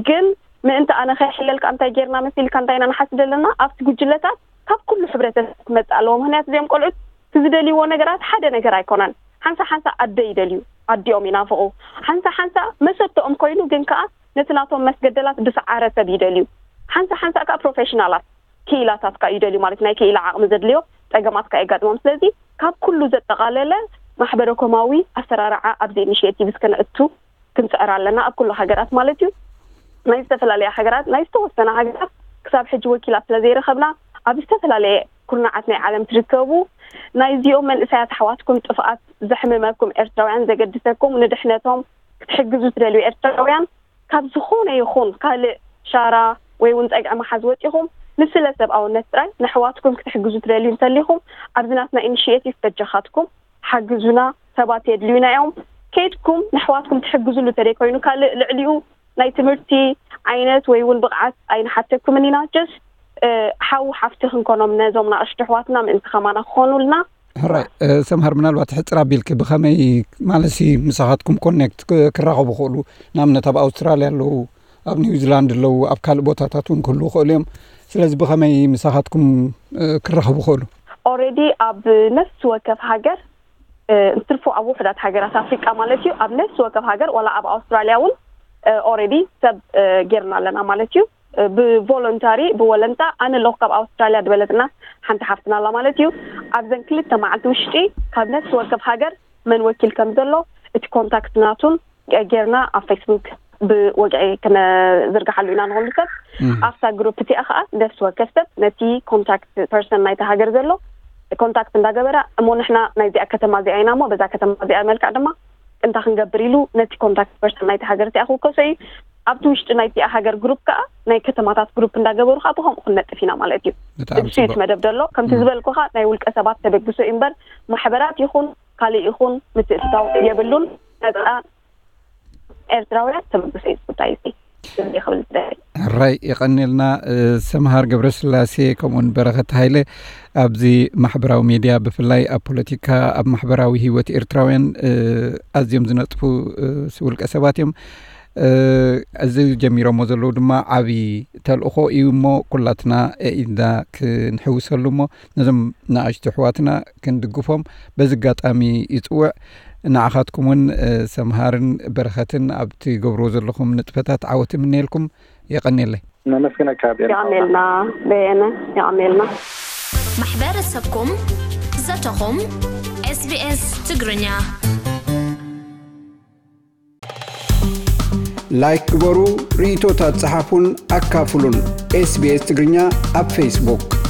ግን ምእንቲ ኣነ ከይሕለልካ እንታይ ጌርና መሲልካ እንታይ ኢና ንሓስብ ዘለና ኣብቲ ጉጅለታት ካብ ኩሉ ሕብረተሰብ ክመፅእ ኣለዎ። ምክንያቱ እዚኦም ቆልዑት እቲ ዝደልይዎ ነገራት ሓደ ነገር ኣይኮነን። ሓንሳ ሓንሳ ኣደ ይደልዩ፣ ኣዲኦም ይናፍቑ። ሓንሳ ሓንሳ መሰተኦም ኮይኑ ግን ከዓ ነቲ ናቶም መስገደላት ብሰዓረ ሰብ ይደልዩ። ሓንሳ ሓንሳ ከዓ ፕሮፌሽናላት ክኢላታት ከዓ ይደልዩ፣ ማለት ናይ ክኢላ ዓቕሚ ዘድልዮ ፀገማት ከዓ የጋጥሞም። ስለዚ ካብ ኩሉ ዘጠቓለለ ማሕበረ ኮማዊ ኣሰራርዓ ኣብዚ ኢኒሽቲቭ እስከነእቱ ክንፅዕር ኣለና፣ ኣብ ኩሉ ሃገራት ማለት እዩ። ናይ ዝተፈላለያ ሃገራት፣ ናይ ዝተወሰነ ሃገራት ክሳብ ሕጂ ወኪላት ስለዘይረኸብና ኣብ ዝተፈላለየ ኩርናዓት ናይ ዓለም ትርከቡ ናይዚኦም መንእሰያት ኣሕዋትኩም ጥፍኣት ዘሕምመኩም ኤርትራውያን፣ ዘገድሰኩም ንድሕነቶም ክትሕግዙ ትደልዩ ኤርትራውያን ካብ ዝኾነ ይኹን ካልእ ሻራ ወይ እውን ጸግዒ ምሓዝ ወጺኹም ንስለ ሰብኣውነት ጥራይ ነሕዋትኩም ክትሕግዙ ትደልዩ እንተሊኹም ኣብዚ ናትና ኢኒሽቲቭ በጃኻትኩም ሓግዙና። ሰባት የድልዩና እዮም። ከይድኩም ነሕዋትኩም ትሕግዙሉ ተደይ ኮይኑ ካልእ ልዕሊኡ ናይ ትምህርቲ ዓይነት ወይ እውን ብቕዓት ኣይንሓተኩምን ኢና። ጀስት ሓው ሓፍቲ ክንኮኖም ነዞም ንኣሽቱ ኣሕዋትና ምእንቲ ከማና ክኾኑልና። ሕራይ ሰምሃር፣ ምናልባት ሕፅር ኣቢልኪ ብኸመይ ማለት ምሳኻትኩም ኮኔክት ክራኸቡ ክእሉ፣ ንኣብነት ኣብ ኣውስትራልያ ኣለዉ፣ ኣብ ኒውዚላንድ ኣለዉ፣ ኣብ ካልእ ቦታታት እውን ክህልዉ ክእሉ እዮም። ስለዚ ብኸመይ ምሳኻትኩም ክራኸቡ ክእሉ? ኦሬዲ ኣብ ነፍሲ ወከፍ ሃገር እ፣ እንትርፎ ኣብ ውሕዳት ሃገራት ኣፍሪቃ ማለት እዩ፣ ኣብ ነፍሲ ወከፍ ሃገር ዋላ ኣብ ኣውስትራልያ እውን ኦሬዲ ሰብ እ፣ ጌርና ኣለና ማለት እዩ። እ፣ ብቮለንታሪ ብወለንታ ኣነ ኣለኹ ካብ ኣውስትራልያ ዝበለትና ሓንቲ ሓፍትና ኣላ ማለት እዩ። ኣብዘን ክልተ መዓልቲ ውሽጢ ካብ ነፍሲ ወከፍ ሃገር መን ወኪል ከም ዘሎ እቲ ኮንታክት ናቱን ጌርና ኣብ ፌስቡክ ብወግዒ ክነዝርግሓሉ ኢና ንኹሉ ሰብ። ኣብታ ግሩፕ እቲኣ ከዓ ነፍሲ ወከፍ ሰብ ነቲ ኮንታክት ፐርሰን ናይቲ ሃገር ዘሎ ኮንታክት እንዳገበራ፣ እሞ ንሕና ናይዚኣ ከተማ እዚኣ ኢና እሞ በዛ ከተማ እዚኣ መልክዕ ድማ እንታይ ክንገብር ኢሉ ነቲ ኮንታክት ፐርሰን ናይቲ ሃገር እቲኣ ክውከሶ እዩ። ኣብቲ ውሽጢ ናይቲኣ ሃገር ግሩፕ ከዓ ናይ ከተማታት ግሩፕ እንዳገበሩ ከዓ ብከምኡ ክንነጥፍ ኢና ማለት እዩ። ብጣዕሚ እሱ እዩ እቲ ጽቡቅ። መደብ ዘሎ። ከምቲ ዝበልኩኻ ናይ ውልቀ ሰባት ተበግሶ እዩ እምበር ማሕበራት ይኹን ካልእ ይኹን ምትእትታው የብሉን። ነፃ ኤርትራውያን ተበግሶ እዩ እቲ ጉዳይ እዚ። እዚ ክብል ዝደሊ። ሕራይ የቐንየልና። እ፣ ሰምሃር ገብረስላሴ ከምኡውን በረኸት ሃይለ ኣብዚ ማሕበራዊ ሜድያ ብፍላይ ኣብ ፖለቲካ ኣብ ማሕበራዊ ህይወት ኤርትራውያን እ፣ ኣዝዮም ዝነጥፉ እ፣ ውልቀ ሰባት እዮም። እ፣ እዚ ጀሚሮሞ ዘለዉ ድማ ዓብዪ ተልእኾ እዩ እሞ ኩላትና ኢድና ክንሕውሰሉ እሞ ነዞም ንኣሽቱ ኣሕዋትና ክንድግፎም በዚ ኣጋጣሚ ይጽውዕ። ንዓኻትኩም እውን እ፣ ሰምሃርን በረኸትን ኣብ ትገብርዎ ዘለኹም ንጥፈታት ዓወት እምነየልኩም። የቐንየለይ። ነመስግነካ ቤርካ። የቐንየልና በየነ፣ የቐንየልና። ማሕበረሰብኩም ዘተኹም SBS ትግርኛ። ላይክ ግበሩ፣ ርእይቶታት ጸሓፉን ኣካፍሉን። SBS ትግርኛ ኣብ ፌስቡክ።